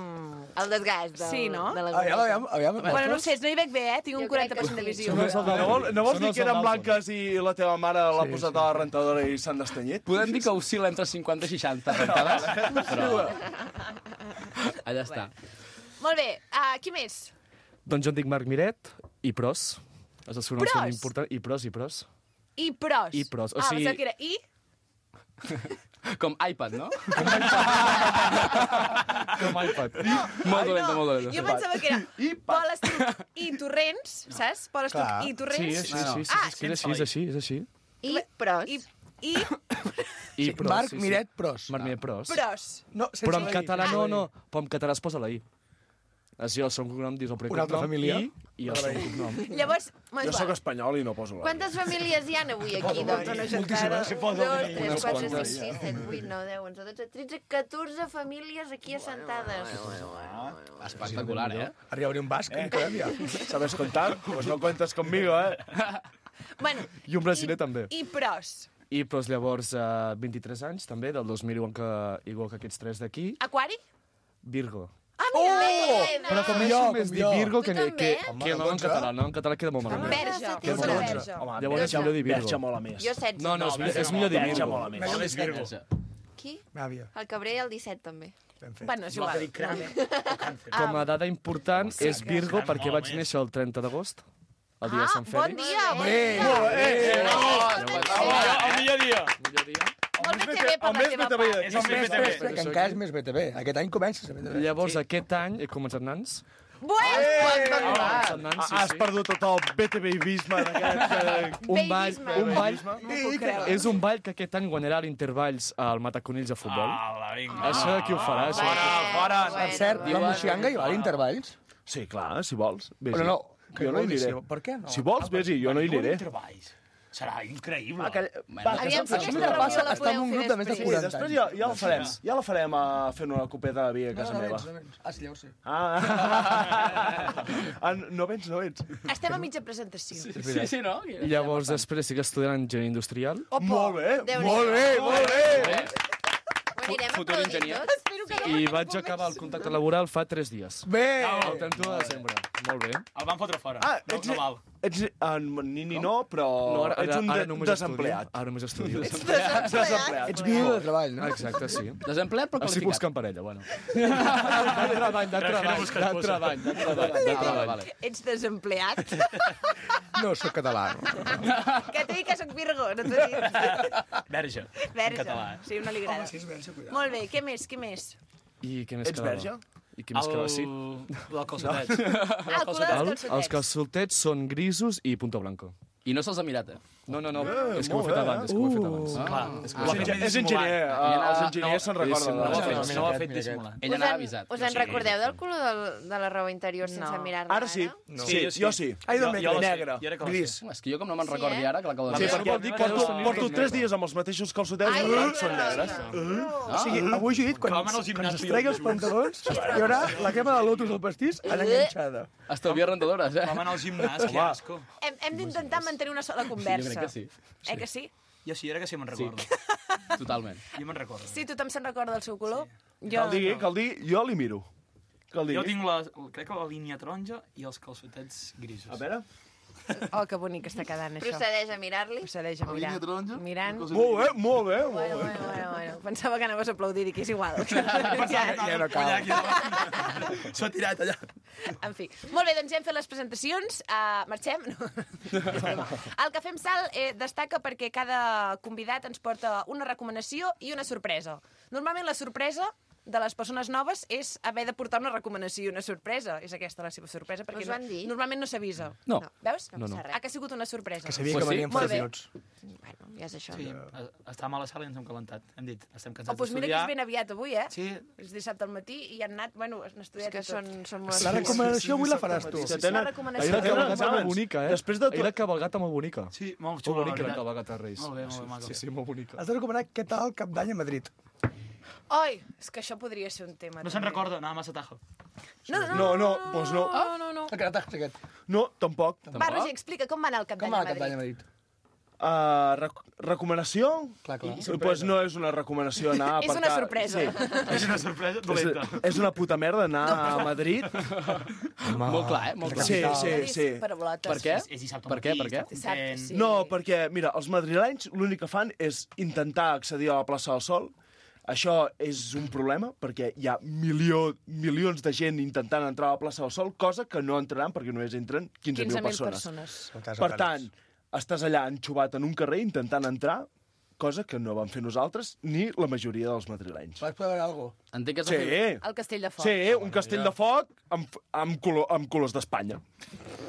El desgast del, Sí, no? de la Aviam, aviam, aviam. Bueno, no ho sé, no hi veig bé, eh? Tinc un Jo crec quaranta que per cent de sí. visió. No, vol, no vols Són dir els que eren del blanques i la teva mare l'ha posat a la rentadora i s'han destanyit? Podem dir que oscil·la entre cinquanta i seixanta rentades, però... Allà està. Molt bé, uh, qui més? Doncs jo em dic Marc Miret i Pros. Els dos cognoms Pros? són importants. I Pros, i Pros. I pros. I pros, o Ah, sigui- pensava que era i... Com iPad, no? Com iPad. Molt dolenta, molt dolenta. Jo pensava que era Pol Estruc i Torrents, saps? Pol Estruc Clar. i Sí, Torrents. sí, sí, sí, Ah, és que és així, és així, és així. I pros. I, i I Pros, Marc sí, sí. Miret Pros. Marc Miret Pros. pros. No, sense Però en la I. català no, no. Però en català es posa la I. És jo, el segon cognom, dius el primer Una altra cognom, família. I, i el segon cognom. Llavors, Jo sóc espanyol i no poso la... Quantes famílies hi ha avui aquí, doncs? Moltíssimes. Dos, tres, Unes quatre, quantes. cinc, sis, set, vuit, nou, deu, onze, dotze, tretze, catorze famílies aquí assentades. Espectacular, eh? Arriba a obrir un basc, eh. encara ja. ¿Sabes contar? Pues no cuentes conmigo, eh? Bueno, I un brasiler també. i pros. I Pros llavors eh, vint-i-tres anys, també, del dos mil, igual que, igual que aquests tres d'aquí. Aquari? Virgo. Ah, mira, oh! Però com Com és jo, més com dir jo. Virgo que, Tu que, que, també? que no en català. No, en català queda molt malament. Verge. Que Una bronze. verge. Home, Llavors és millor dir Verge Virgo. mola més. Jo setze. No, no, és, verge és millor dir Verge Virgo. mola més. Verge És Virgo. Qui? Àvia, El Cabré el disset, també. ben fet. Bueno, és No, que igual. dic cranc. Com a dada important és Virgo Cranc perquè mola vaig més. néixer el trenta d'agost, el dia de Ah, Sant bon Fèlix. dia, bon Bé, dia. molt bé. El millor dia. Millor dia. Molt bé té bé per El la més teva B T V. part. És No, el més, més més, B T V. que encara és més B T V. Aquest any comença a ser B T V. Llavors, aquest any he començat nans. Bueno, Començat nans, sí, Has sí. perdut tot el B T V-isme d'aquest... eh, Un ball, Babyisme. un ball, no puc creure. és un ball que aquest any guanyarà l'intervalls al Mataconills de futbol. Ala, vinga. Això de qui ho farà, això? Fora, fora. Per cert, la Moixiganga hi va a l'intervalls? Sí, clar, si vols. Vés-hi. Però no, que jo no hi vol dir, aniré. si- per què no? Si vols, vés-hi, jo no hi aniré. Serà increïble. Aquell... Aviam si Això aquesta que reunió passa, la està en podeu un fer grup de més de després. Sí, quaranta després anys. ja, ja la farem. Ja la farem uh, fent una copeta de vi a casa No, no meva. vens, no vens. Ah, sí, ja ho sé. Ah, ah, no vens, no vens. Estem a mitja presentació. Sí, sí, no? I llavors després estic estudiant enginyeria industrial. Molt bé, Déu-n'hi-do. molt bé, molt bé. Ho anirem Futur aplaudint enginyer. tots? Espero que no I me vaig acabar el contracte laboral fa tres dies. Bé! El trenta u de desembre. Molt bé. El van fotre fora. Ah, no, ets- no val. Ets, en Nini no, però No, ara, ets un ara, de, ara només desempleat. Estudio. Ara només estudio. Ets desempleat. Desempleat. Ets viu de treball, no? Exacte, sí. Desempleat però Estic qualificat. buscant parella, bueno. De treball, de treball, de treball, de treball, de treball. Vale. Ets desempleat? No, sóc català. Que t'he dit que soc Virgo, no t'ho he dit. Verge, en Verge. català. Sí, una li agrada. Home, si és verge, cuidado. Molt bé, què més, què més? I què més Ets quedava? verge? I què més quedava? Sí. El calçotet. Ah, el color dels El, calçotets. els calçotets són grisos i punto blanco. I no se'ls ha mirat, eh? No, no, no, Eh, és que ho he molt fet bé, abans, és que ho he fet abans. Ah, clar. És, engi- és enginyer, eh, els enginyers se'n recorden. No ho ha de- fet, no ho ha fet dissimulant. Ell anava avisat. Us en recordeu del color del, de la roba interior sense No. mirar-la? Ara sí. No. Sí, jo sí. Ai, Jo- d'on jo la sé, negre, jo era que la sé. gris. És que jo com no me'n Sí, recordi eh? ara, que l'acabo de Sí, mirar. perquè vol dir que porto, deus tenir porto negre. tres dies amb els mateixos calçotets Ai, i no, són no, negres. O sigui, avui jo he dit, quan, Com en el quan gimnàs, s'estregui els pantalons, hi haurà la crema de lotus al pastís allà enganxada. Estalvia rentadores, eh? Vam anar al gimnàs, que asco. Hem, hem d'intentar mantenir una sola Jo conversa. crec que sí. Eh que sí? Jo sí, era que sí me'n recordo. Totalment. Jo me'n recordo. Sí, tothom se'n recorda del seu color? Jo Cal dir, no. cal dir, jo li miro. Cal dir. Jo tinc la, crec que la línia taronja i els calçotets grisos. A veure. Oh, que bonic està quedant, això. Procedeix a mirar-li. Procedeix a mirar. Mirant. Molt bé, molt bé. Molt Bueno, bé. bueno, bueno, bueno. Pensava que anaves a aplaudir i que és igual. Ja, Ja no cal. S'ho ha tirat allà. En fi. Molt bé, doncs ja hem fet les presentacions. Uh, marxem? No. El Cafè amb Sal eh, destaca perquè cada convidat ens porta una recomanació i una sorpresa. Normalment la sorpresa de les persones noves és haver de portar una recomanació i una sorpresa. És aquesta la seva sorpresa, perquè Us ho han dit? no, normalment no s'avisa. No. Veus? No, no. Ha que ha sigut una sorpresa. Que sabia Pues que sí. venien Molt bé. fotos. Bueno, ja és això. Sí, estàvem a la sala i ens hem calentat. Hem dit, estem Oh, cansats doncs mira que d'estudiar. és ben aviat avui, eh? Sí. És dissabte al matí i han anat, bueno, han És estudiat que i tot. són, són molt... La recomanació avui la faràs tu. Que La tenen... recomanació. Ahir la Tenen cabalgata molt exàmens. bonica, eh? Després de Ahir tot... la cabalgata molt bonica. Sí, molt Molt xula, la bonica la veritat. cabalgata de Reis. Molt bé, molt bé, maco. Sí, sí, molt bonica. Has de recomanar què tal el cap d'any a Madrid. Oi, és que això podria ser un tema. No se'n també. recorda, anava massa tajo. No, no, No, no, doncs no. no, no, no. El carataje és aquest. No, tampoc. Va, Roger, explica com va anar el cap Com d'any va a el cap d'any a Madrid. Madrid? Uh, rec recomanació? Clar, clar. Doncs pues no és una recomanació anar a És una aparcar- sorpresa. Sí. És una sorpresa dolenta. És, és una puta merda anar a Madrid. Molt clar, eh? Molt clar. Sí, sí, sí. Paraulotes. Per què? És, és dissabte Per què, matí, per què? estàs Dissabte, content. sí. No, perquè, mira, els madrilenys l'únic que fan és intentar accedir a la plaça del Sol. Això és un problema, perquè hi ha milió, milions de gent intentant entrar a la plaça del Sol, cosa que no entraran perquè només entren quinze mil quinze mil persones. persones. Per tant, estàs allà enxubat en un carrer intentant entrar, cosa que no vam fer nosaltres ni la majoria dels madrilenys. Vas poder veure alguna cosa? Entenc que és Sí, El Castell de Foc. sí, un castell de foc amb, amb, color, amb colors d'Espanya.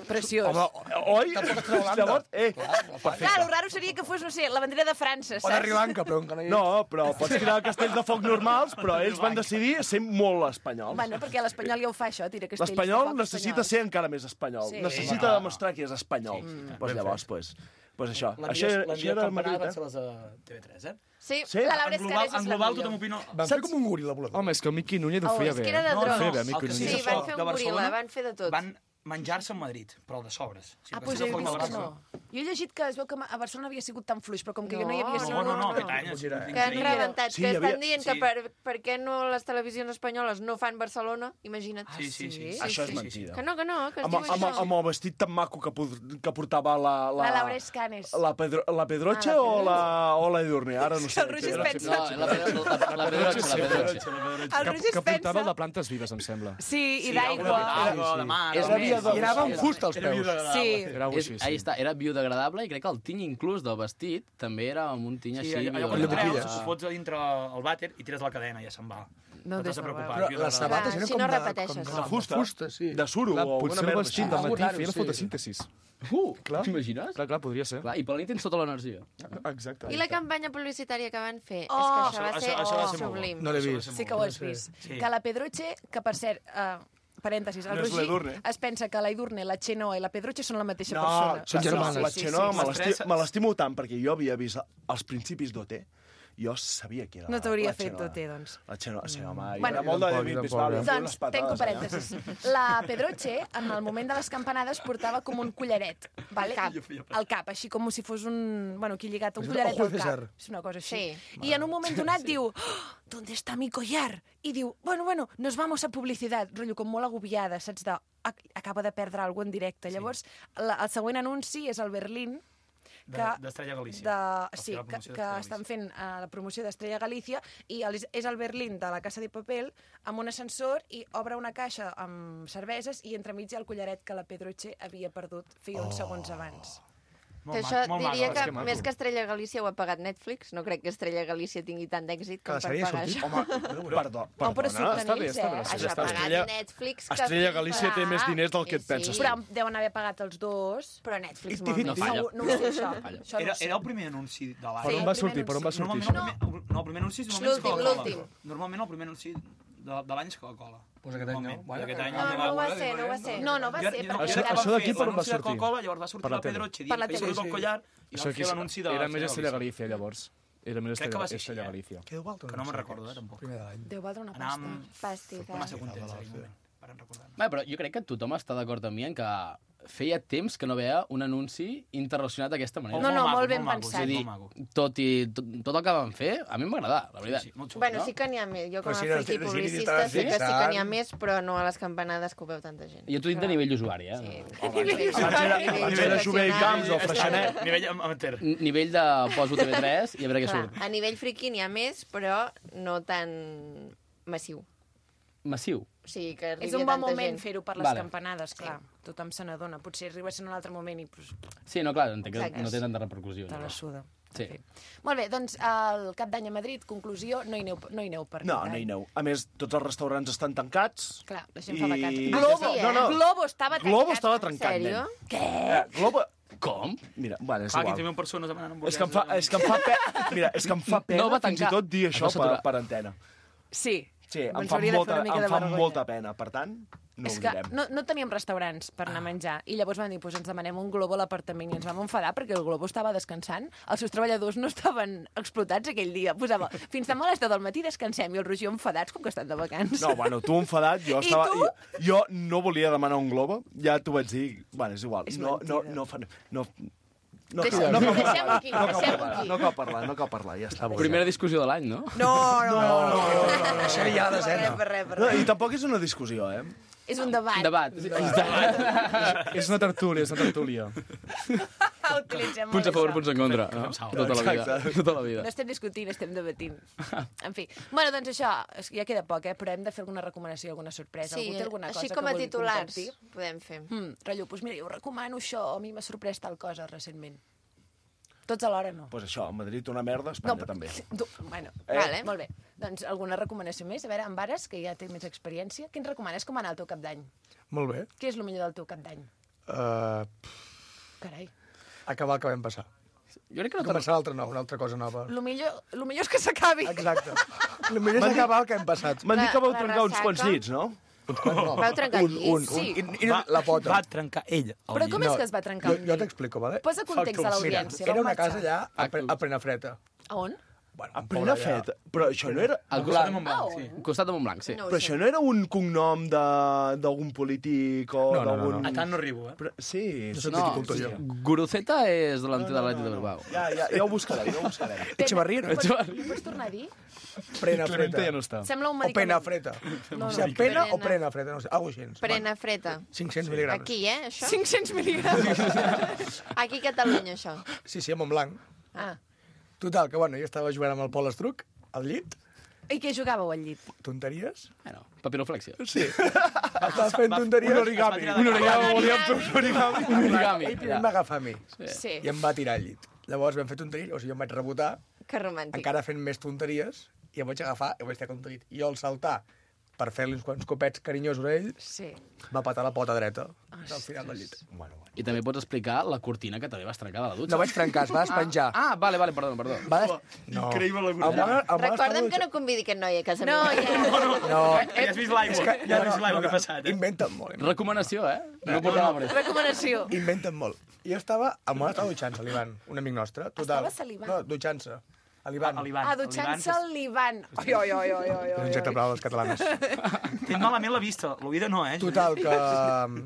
Preciós. Home, oi? Tampoc es troba Llavors, eh, Clar, el raro seria que fos, no sé, la bandera de França, O de saps? Sri Lanka, però encara hi no, però pots tirar castells de foc normals, però ells van decidir ser molt espanyols. Bueno, perquè l'espanyol ja ho fa, això, tira castells de L'espanyol foc necessita espanyols. ser encara més espanyol. Sí. Necessita demostrar que és espanyol. Doncs pues llavors, pues, pues això. La Això, millor, la això millor era campanada Madrid, van eh? ser les de T V tres, eh? Sí, Sí? la Laura En global, Escares en és la global millor. tothom opina... Van fer com un goril·la volador. Home, és que el Miqui Núñez ho Oh, feia és bé. que era de No, drons. no, Feia bé, el Miqui que Sí, Núñez. de van foc fer de un goril·la, Barcelona van fer de tot. Van menjar-se a Madrid, però de sobres. O sigui, Ah, el doncs Castell he de Foc de vist que no. Barcelona. Jo he llegit que es veu que a Barcelona havia sigut tan fluix, però com que jo no hi No, havia sigut... No, no, no, no. aquest any ha sigut Que han increïble. rebentat, Sí, que hi havia- estan dient que sí. per, per què no les televisions espanyoles no fan Barcelona, imagina't. Sí, sí, sí. Sí, Això és sí. mentida. Que no, que no, que es Amb, diu amb, això. amb el vestit tan maco que, pod- que portava la... La Laura Escanes. La, Pedro, la Pedroche Ah, la o la, o la Edurne? Ara no sé. El Roger es No, pensa... la, la, la, la, la Pedroche, la Pedroche. El Que, Roger es que portava el de pensa... plantes vives, em sembla. Sí, i Sí, d'aigua. d'aigua, de mar. És de més, mar. I anava amb fusta als Era peus. biodegradable. Sí. Era És, així, ahí sí. està, era biodegradable i crec que el tiny inclús del vestit també era amb un tiny Sí, així allò, allò quan biodegradable. treus, boquilles. ho fots a dintre el vàter i tires la cadena i ja se'n va. No, No t'has de des- preocupar. Però biodegradable. les sabates eren si com no de... repeteixes. com De fusta. fusta, sí. De suro Clar, o potser alguna el merda vestit així. de Algú matí raro, feia la sí. fotosíntesi. Uh, Clar. t'imagines? Clar, clar, podria ser. Clar, i per la nit tens tota l'energia. Exacte. I la campanya publicitària que van fer? Oh, és que això va això- ser, això va ser molt bo. sublim. No l'he Això va vist. ser Sí molt que ho bo. has vist. Sí. Que la Pedroche, que per cert, uh, parèntesis, el No és Roger l'Edurne. es pensa que la Edurne, la Xenoa i la Pedroche són la mateixa No, persona. Són germanes. La Sí, sí, Xenoa sí, me sí. l'esti- Les tres- me l'estimo tant perquè jo havia vist els principis d'O T. Jo sabia que era No t'hauria la fet Xenoa. tot, doncs. La Xenoa, sí, home, Bueno. bueno, era molt de Tampoc, David tampoc, Bisbal. eh? Feia Doncs, unes patades tanco allà. parèntesis. La Pedroche, en el moment de les campanades, portava com un collaret, vale? Al cap. Al cap, així com si fos un... Bueno, aquí lligat, un És collaret Ojo al de cap. César. És una cosa així. Sí. I en un moment donat diu, oh, ¿dónde está mi collar? I diu, bueno, bueno, nos vamos a publicidad. Rotllo, com molt agobiada, saps? De, acaba de perdre alguna cosa en directe. Sí. Llavors, la, el següent anunci és el Berlín, d'Estrella Galícia. De, sí, que, que estan fent uh, la promoció d'Estrella Galícia i el, és el Berlín de la Casa de Papel amb un ascensor i obre una caixa amb cerveses i entremig hi ha el collaret que la Pedroche havia perdut feia uns oh. segons abans. Que això diria que, que més que Estrella Galícia ho ha pagat Netflix. No crec que Estrella Galícia tingui tant d'èxit com per pagar això. Home, perdó, perdona, però està bé, està bé. Això ha pagat Netflix. Estrella Galícia té més diners del que et penses. Però deuen haver pagat els dos. Però Netflix molt. No falla. No ho sé, això. Era el primer anunci de l'any. Per on va sortir? Per on va sortir això? No, el primer anunci és l'últim. Normalment el primer anunci de l'any és Coca-Cola. Pues aquest any no. Aquest any no, no va ser, no va ser. No, no va ser. Això d'aquí per on va sortir? Coca-Cola, llavors va sortir la Pedroche dient que hi ha el collar i van fer l'anunci de... Era més Estrella Galícia, llavors. Era més Estrella Galícia. Que deu valdre que no me'n recordo, eh, tampoc. Deu valdre una pasta. Pastita. Massa contents, aquell moment. Bé, però jo crec que tothom està d'acord amb mi en que feia temps que no veia un anunci interrelacionat d'aquesta manera. No, no, molt ben pensat. És a dir, tot, i, tot, tot el que van fer, a mi m'agrada, la veritat. Sí, sí, bueno, sí que n'hi ha més. Jo com a friki publicista sí que sí que n'hi ha més, però no a les campanades que ho veu tanta gent. I jo t'ho dic de nivell usuari, eh? Sí. Abans era Jové i Camps o Freixenet. Nivell amateur. Nivell de poso T V tres i a veure què surt. A nivell friki n'hi ha més, però no tan massiu. Massiu. Sí, que és un bon moment fer-ho per les vale. campanades, clar. Sí. Tothom se n'adona. Potser arriba a ser un altre moment i... Pues... Sí, no, clar, entenc que no té tanta repercussió. Te la suda. Sí. Sí. Molt bé, doncs el cap d'any a Madrid, conclusió, no hi aneu, no hi aneu per No, no hi aneu. A més, tots els restaurants estan tancats. Clar, la gent fa vacances. I... Globo, sí, eh? no, no. Globo estava tancat. Globo estava trencat, Sèrio? nen. Què? Eh, Globo... Com? Mira, bueno, és Clar, igual. quinze mil persones demanant És que em fa, és que em fa pena, mira, és que em fa pena No va fins i tancar. tot dir això Es va per, saturar. per antena. Sí. Sí, em Ens fa, hauria de fer molta, una mica em de fa vergonya. molta pena. Per tant, no és ho que direm. no, no teníem restaurants per anar a menjar i llavors vam dir, pues ens demanem un Globo a l'apartament i ens vam enfadar perquè el Globo estava descansant, els seus treballadors no estaven explotats aquell dia, posava fins demà a les deu del matí descansem i el Roger enfadats com que estan de vacances. No, bueno, tu enfadat, jo I estava... tu? Jo, jo no volia demanar un Globo, ja t'ho vaig dir, bueno, és igual. És no, no, mentida. no, fa- no, no, Deixem- cal, no, cal deixem-ho parlar, aquí, no, cal deixem-ho parlar, aquí. no cal parlar, no cal parlar, ja està. Primera discussió de l'any, no? No, no, no. No, no, no, no. Això ja la desena. Per res, per No, res. I tampoc és una discussió, eh? És un debat. Debat. És una tertúlia, és una tertúlia. El utilitzem molt, Punts a favor, això. punts en contra. No? Tota la vida. Tota la vida. No estem discutint, estem debatint. En fi. Bueno, doncs això, és que ja queda poc, eh? Però hem de fer alguna recomanació, alguna sorpresa. Sí, Algú té alguna així cosa com a que vulgui titulars compartir? podem fer. Hmm, rotllo, doncs mira, jo recomano això, a mi m'ha sorprès tal cosa recentment. Tots alhora no. Doncs pues això, a Madrid una merda, a Espanya No, també. Tu, bueno, Eh? vale. Molt bé. Doncs alguna recomanació més? A veure, en Vares, que ja té més experiència, què ens recomanes com anar al teu cap d'any? Molt bé. Què és el millor del teu cap d'any? Uh, Carai. acabar el que vam passar. Jo crec que no Començar l'altra nova, una altra cosa nova. Lo millor, lo millor és que s'acabi. Exacte. El millor és acabar el que hem passat. M'han dit que vau La- la trencar uns ressaca. quants llits, no? No. Vau trencar un, llits? un, Sí. un, i, i la pota. Va trencar ell. el Però com llit. és que es va trencar Jo, el jo llit? t'explico, vale? Posa context a l'audiència. Era vau una casa marxar. allà a, pre, a Prenafreta. A on? Bueno, A un plena poble allà. feta. Però això no era... Al costat de costat, Montblanc, Ah, sí. al costat de Montblanc, sí. No ho Però sé. això no era un cognom de- d'algun polític o No, no, no, d'algun... no. A tant no arribo, eh? Però, sí, Jo sí, soc No, viticultor, jo. Guruceta és delante de l'Atlètic de Bilbao. Ja, ja, ja ho buscaré, ja ho buscaré. Echevarría, no? Pots, ho pots tornar a dir? Prenafreta. ja no està. Sembla un O medicament. penafreta. No, O no. sigui, pena o Prena. prenafreta, no sé, alguna cosa així. Prenafreta. cinc-cents mil·ligrams. Aquí, eh, això? cinc-cents mil·ligrams. Aquí a Catalunya, això. Sí, sí, a Montblanc. Ah. Total, que bueno, jo estava jugant amb el Pol Estruc, al llit, I què jugàveu al llit? tonteries. Bueno, papiroflexia. Sí. Estava fent tonteries. un origami. Un origami. Volíem fer un origami. Un origami. Ell primer em va agafar a mi Sí. i em va tirar al llit. Llavors vam fer tonteries, o sigui, jo em vaig rebotar, Que romàntic. encara fent més tonteries, i em vaig agafar i vaig tirar contra el llit. I jo al saltar, per fer-li uns quants copets carinyosos a ell, Sí. va patar la pota dreta al final del llit. Bueno, bueno. I també pots explicar la cortina que també vas trencar de la dutxa. No vaig trencar, es va despenjar. Ah, ah vale, vale, perdó, perdó. Va des... No. Increïble la El Moga- el Moga estava Recorda'm que dutxa- no convidi aquest noi a casa No, meva. ja. No, Ja has vist l'aigua, ja has vist l'aigua que ha passat, eh? inventen molt. inventen. Recomanació, eh? No portava no, Recomanació. Inventen molt. I jo estava... El Moga estava dutxant-se, l'Ivan, un amic nostre. Total. Estava salivant? No, dutxant-se. A l'Ivan. A l'Ivan. Ah, dutxant-se al l'Ivan. Ai, ai, ai, ai, ai, És un objecte ai. brau dels catalans. Tens malament la vista, l'oïda no, eh? Total, que um,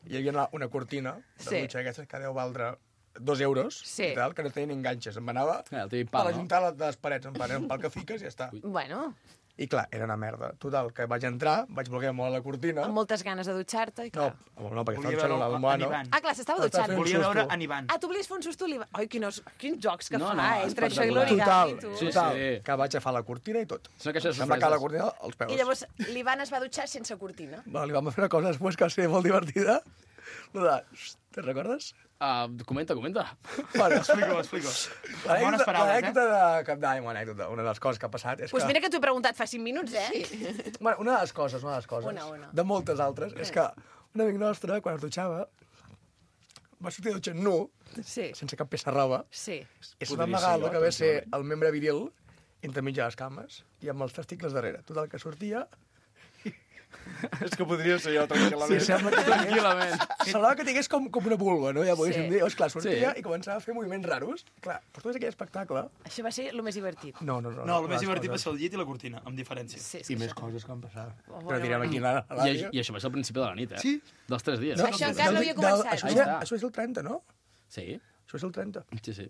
hi havia una, una cortina de Sí. dutxa d'aquestes que deu valdre dos euros, Sí. i tal, que no tenien enganxes. Em anava Eh, el típic per pal, no? ajuntar les, les parets, en plan, era un pal que fiques i ja està. Bueno, I clar, era una merda. Total, que vaig entrar, vaig voler molt la cortina... Amb moltes ganes de dutxar-te, i clar... No, no, perquè Volia estava veure dutxant en l'Almohano. Ivan. Ah, clar, s'estava Estava dutxant. fent Volia susto. veure en Ivan. Ah, tu volies fer un susto a l'Ivan? Ai, quins, quins jocs que No, fa, no, eh? Entre això i espectacular. l'origami, Total, tu. Sí, total, sí. que vaig agafar la cortina i tot. És una caixa de Em va caure la sorpreses. cortina als peus. I llavors l'Ivan es va dutxar sense cortina. Va, li vam fer una cosa després que va ser molt divertida. Lo de... Te'n recordes? Uh, comenta, comenta. Bueno, Explico, explico. Bones paraules, eh? L'anècdota de Cap d'Any, una anècdota, una de les coses que ha passat és Doncs pues que... mira que t'ho he preguntat fa cinc minuts, eh? Sí. Bueno, una de les coses, una de les coses, Una, una. de moltes altres, és que un amic nostre, quan es dutxava, va sortir de dutxant nu, Sí. sense cap peça de roba, Sí. i se va amagar el que ve ser el membre viril entremig de les cames i amb els testicles darrere. Total, que sortia... És que podria ser jo, Sí, tranquil·lament. sembla que Tranquil·lament. semblava que tingués com, com una vulva, no? Ja podríem Sí. dir. Llavors, clar, sortia Sí. i començava a fer moviments raros. Clar, per tot aquell espectacle... Això va ser el més divertit. No, no, no. No, el més les divertit va coses. ser el llit i la cortina, amb diferència. Sí, I més coses que van passar. Oh, Però direm aquí a la I, ràdio. I això va ser al principi de la nit, eh? Sí. Dels tres dies. No, Això encara no havia començat. Això, Ahí és, està. això és el trenta, no? Sí, Això és el trenta. sí, sí.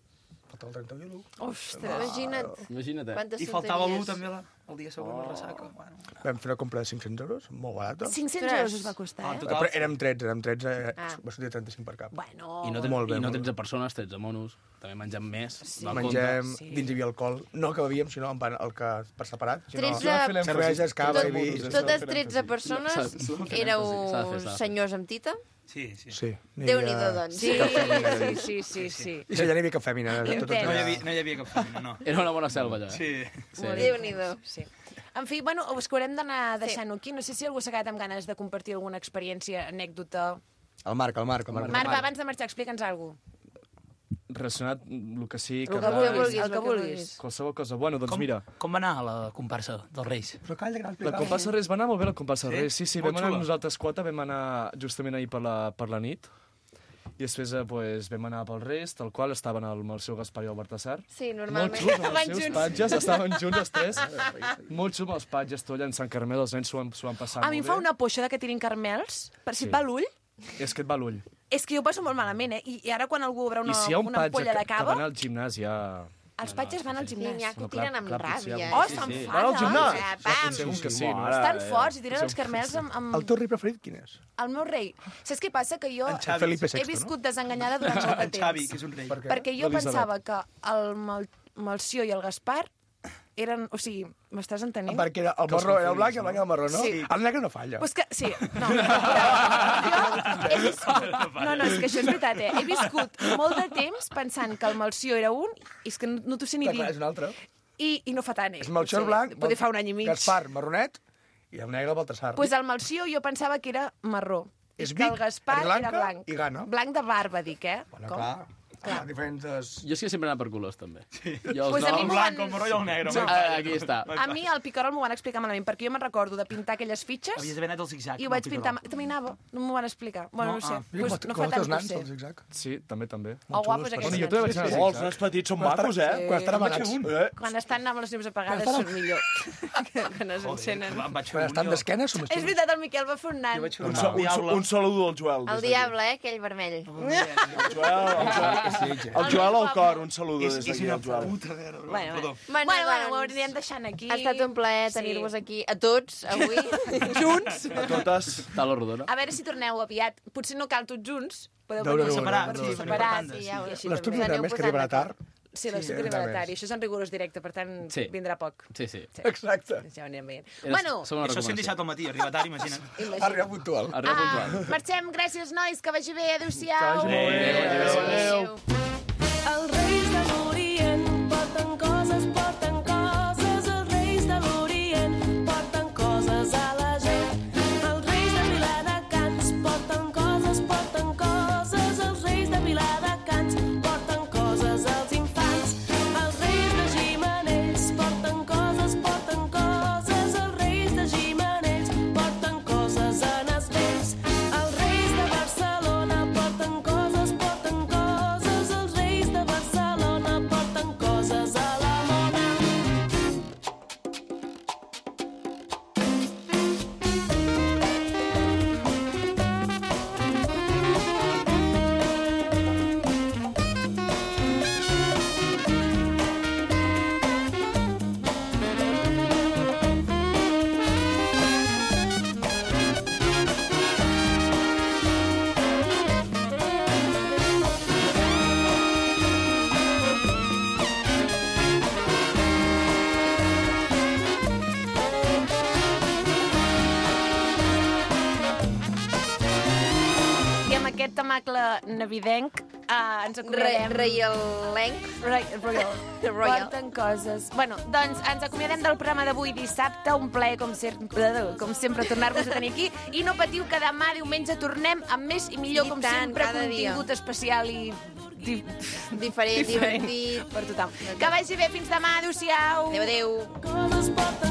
Falta el trenta i l'u. Ostres. Imagina't Imagina't, eh? quantes I faltava l'u tonteries. també la, el dia següent, la ressaca. Bueno. Vam fer una compra de cinc-cents euros, molt barata. cinc-cents Ostres. euros us va costar, Ah, eh? total. Però érem tretze, érem tretze, eh, Ah. va sortir trenta-cinc per cap. Bueno, I no, ten, Molt bé, i no molt bé. tretze persones, tretze monos. També mengem més. Sí. del Mengem, compte. Sí. dins hi havia alcohol, no que bevíem, sinó en pan, el que per separat. Sinó tretze cerveses, cava i vi. Totes tretze persones éreu S'ha de fer, s'ha de fer. senyors amb tita? Sí, sí. Sí. n'hi Déu-n'hi-do, havia- doncs. Sí, sí, sí, sí, sí. I allà n'hi havia cap fèmina. Entenc. Tot, No hi havia, no hi havia cap feina, no. Era una bona selva, allà. Sí. Sí. Déu-n'hi-do. Sí. En fi, bueno, us que haurem d'anar deixant-ho aquí. No sé si algú s'ha quedat amb ganes de compartir alguna experiència, anècdota... El Marc, el Marc. El Marc. Marc, va, abans de marxar, explica'ns alguna cosa. Relacionat el que sigui, El que que vulguis, el que vulguis. qualsevol cosa. Bueno, doncs Com, mira, com va anar la comparsa dels Reis? Però calla, que no la explicava. comparsa Reis va anar molt bé, la comparsa Sí? Reis. Sí, sí, Molt vam anar xula. nosaltres quatre, vam anar justament ahir per la, per la nit. I després eh, pues, vam anar pels Reis, tal qual, estaven el, amb el seu Gaspar i el Baltasar. Sí, Molt normalment. xuls, amb Van els seus junts. patges, estaven junts els tres. Molt xuls amb els patges, tot allà en Sant Carmel, els nens s'ho van, s'ho van passar A mi em molt fa bé. una poixa de que tirin carmels, per si Sí. et va l'ull. És que et va l'ull. És que jo ho passo molt malament, eh? I, i ara quan algú obre una, I si hi ha un una patge ampolla que, de que va cava, anar al gimnàs ja... els patges van al Sí, gimnàs. n'hi ha que ho No, clar, tiren amb clar, potser ràbia. hi eh? ha- Oh, Sí, se'n sí. fa, Van al no? gimnàs? Eh, pam! Segur que sí. Estan forts i tiren els carmels amb, amb... El teu rei preferit quin és? El meu rei. Saps què passa? Que jo En Xavi. Felipe he sexto, viscut desenganyada durant molt de En Xavi, temps. que és un rei. Per què? Perquè jo L'Elisabet. pensava que el Mal Malció i el Gaspar eren... O sigui, m'estàs entenent? Perquè era el marró era el blanc i el blanc era el marró, no? Sí. El negre no falla. Pues que, sí, no. Jo he viscut... No, no, és que això és veritat, eh? He viscut molt de temps pensant que el Malció era un i és que no, no t'ho sé ni Clar, clar, és dir. un altre. I, i no fa tant, eh? És Melchor Sí, blanc, Poder fa un any i mig. Gaspar marronet i el negre el Baltasar. Pues el Malció jo pensava que era marró. És I que el Vic, Gaspar és blanca era blanc. i gana. Blanc de barba, dic, eh? Bueno, Com? clar, clar, diferents... Jo és que sempre he anat per colors, també. Sí. Jo, Pues a mi El m'ho blanc, van- el marró i el negre. Sí, ah, aquí està. A mi el picarol m'ho van explicar malament, perquè jo me'n recordo de pintar aquelles fitxes Havies d'haver anat al zigzag. i ho vaig pintar... També anava, no m'ho van explicar. Bueno, no, No, sé, ah. pues, no fa Com tant els que ho nans, sé. el zigzag. Sí, també, també. O guapos aquests Bueno, jo nens. també vaig anar a Oh, els zigzag. nens petits són macos, eh? Quan estan amagats. Eh? Quan estan amb les llums apagades són millor que quan es encenen. Em vaig fer Quan un estan jo. d'esquena són més És xulos. veritat, el Miquel va fer un nan. Jo vaig fer Un, un, so, un un, diable. un saludo al Joel. El des d'aquí. diable, eh, aquell vermell. El Joel, el Joel, el Joel al cor, un saludo És, des és d'aquí una al Joel. puta vera. Bueno, Perdó. bueno, bueno, bueno, ho doncs, anirem deixant aquí. Ha estat un plaer Sí. tenir-vos aquí, a tots, avui. Junts. A totes. Talo rodona. A veure si torneu aviat. Potser no cal tots junts. Podeu No, no, venir no, separats, no, no. sí, separats. sí, I ja, i així L'estudi també. de més que arribarà tard. Sí, l'estudi Sí, arribarà res tard. més. I això és en rigorós directe, per tant, Sí. vindrà poc. Sí, sí. Exacte. Ja ho anirem veient. Era- Bueno, som una Això cent recomanació. disset al matí, arriba tard, imagina't. imagina. Arriba puntual. Arriba Ah, puntual. marxem, gràcies, nois, que vagi bé, adéu-siau. Que vagi molt bé. Adéu, adéu. Els reis de l'Orient porten coses, porten coses. Els reis de l'Orient porten coses a la gent. Els reis de Viladecans porten coses, porten coses. Els reis de Viladecans porten coses als infants. Els reis de Gimenells porten coses, porten coses. Els reis de Gimenells porten coses en els vells. Els reis de Barcelona porten coses, porten coses. Els remacle navidenc. Uh, ens acomiadem... Re, Reialenc. Royal. Royal. Porten coses. Bueno, doncs ens acomiadem del programa d'avui dissabte. Un plaer, com, ser... com sempre, tornar-vos a tenir aquí. I no patiu que demà, diumenge, tornem amb més i millor, I com tant, sempre, cada contingut dia. especial i... Di... Diferent, divertit. Per tothom. Que vagi bé, fins demà. Adéu-siau. Adéu, adéu.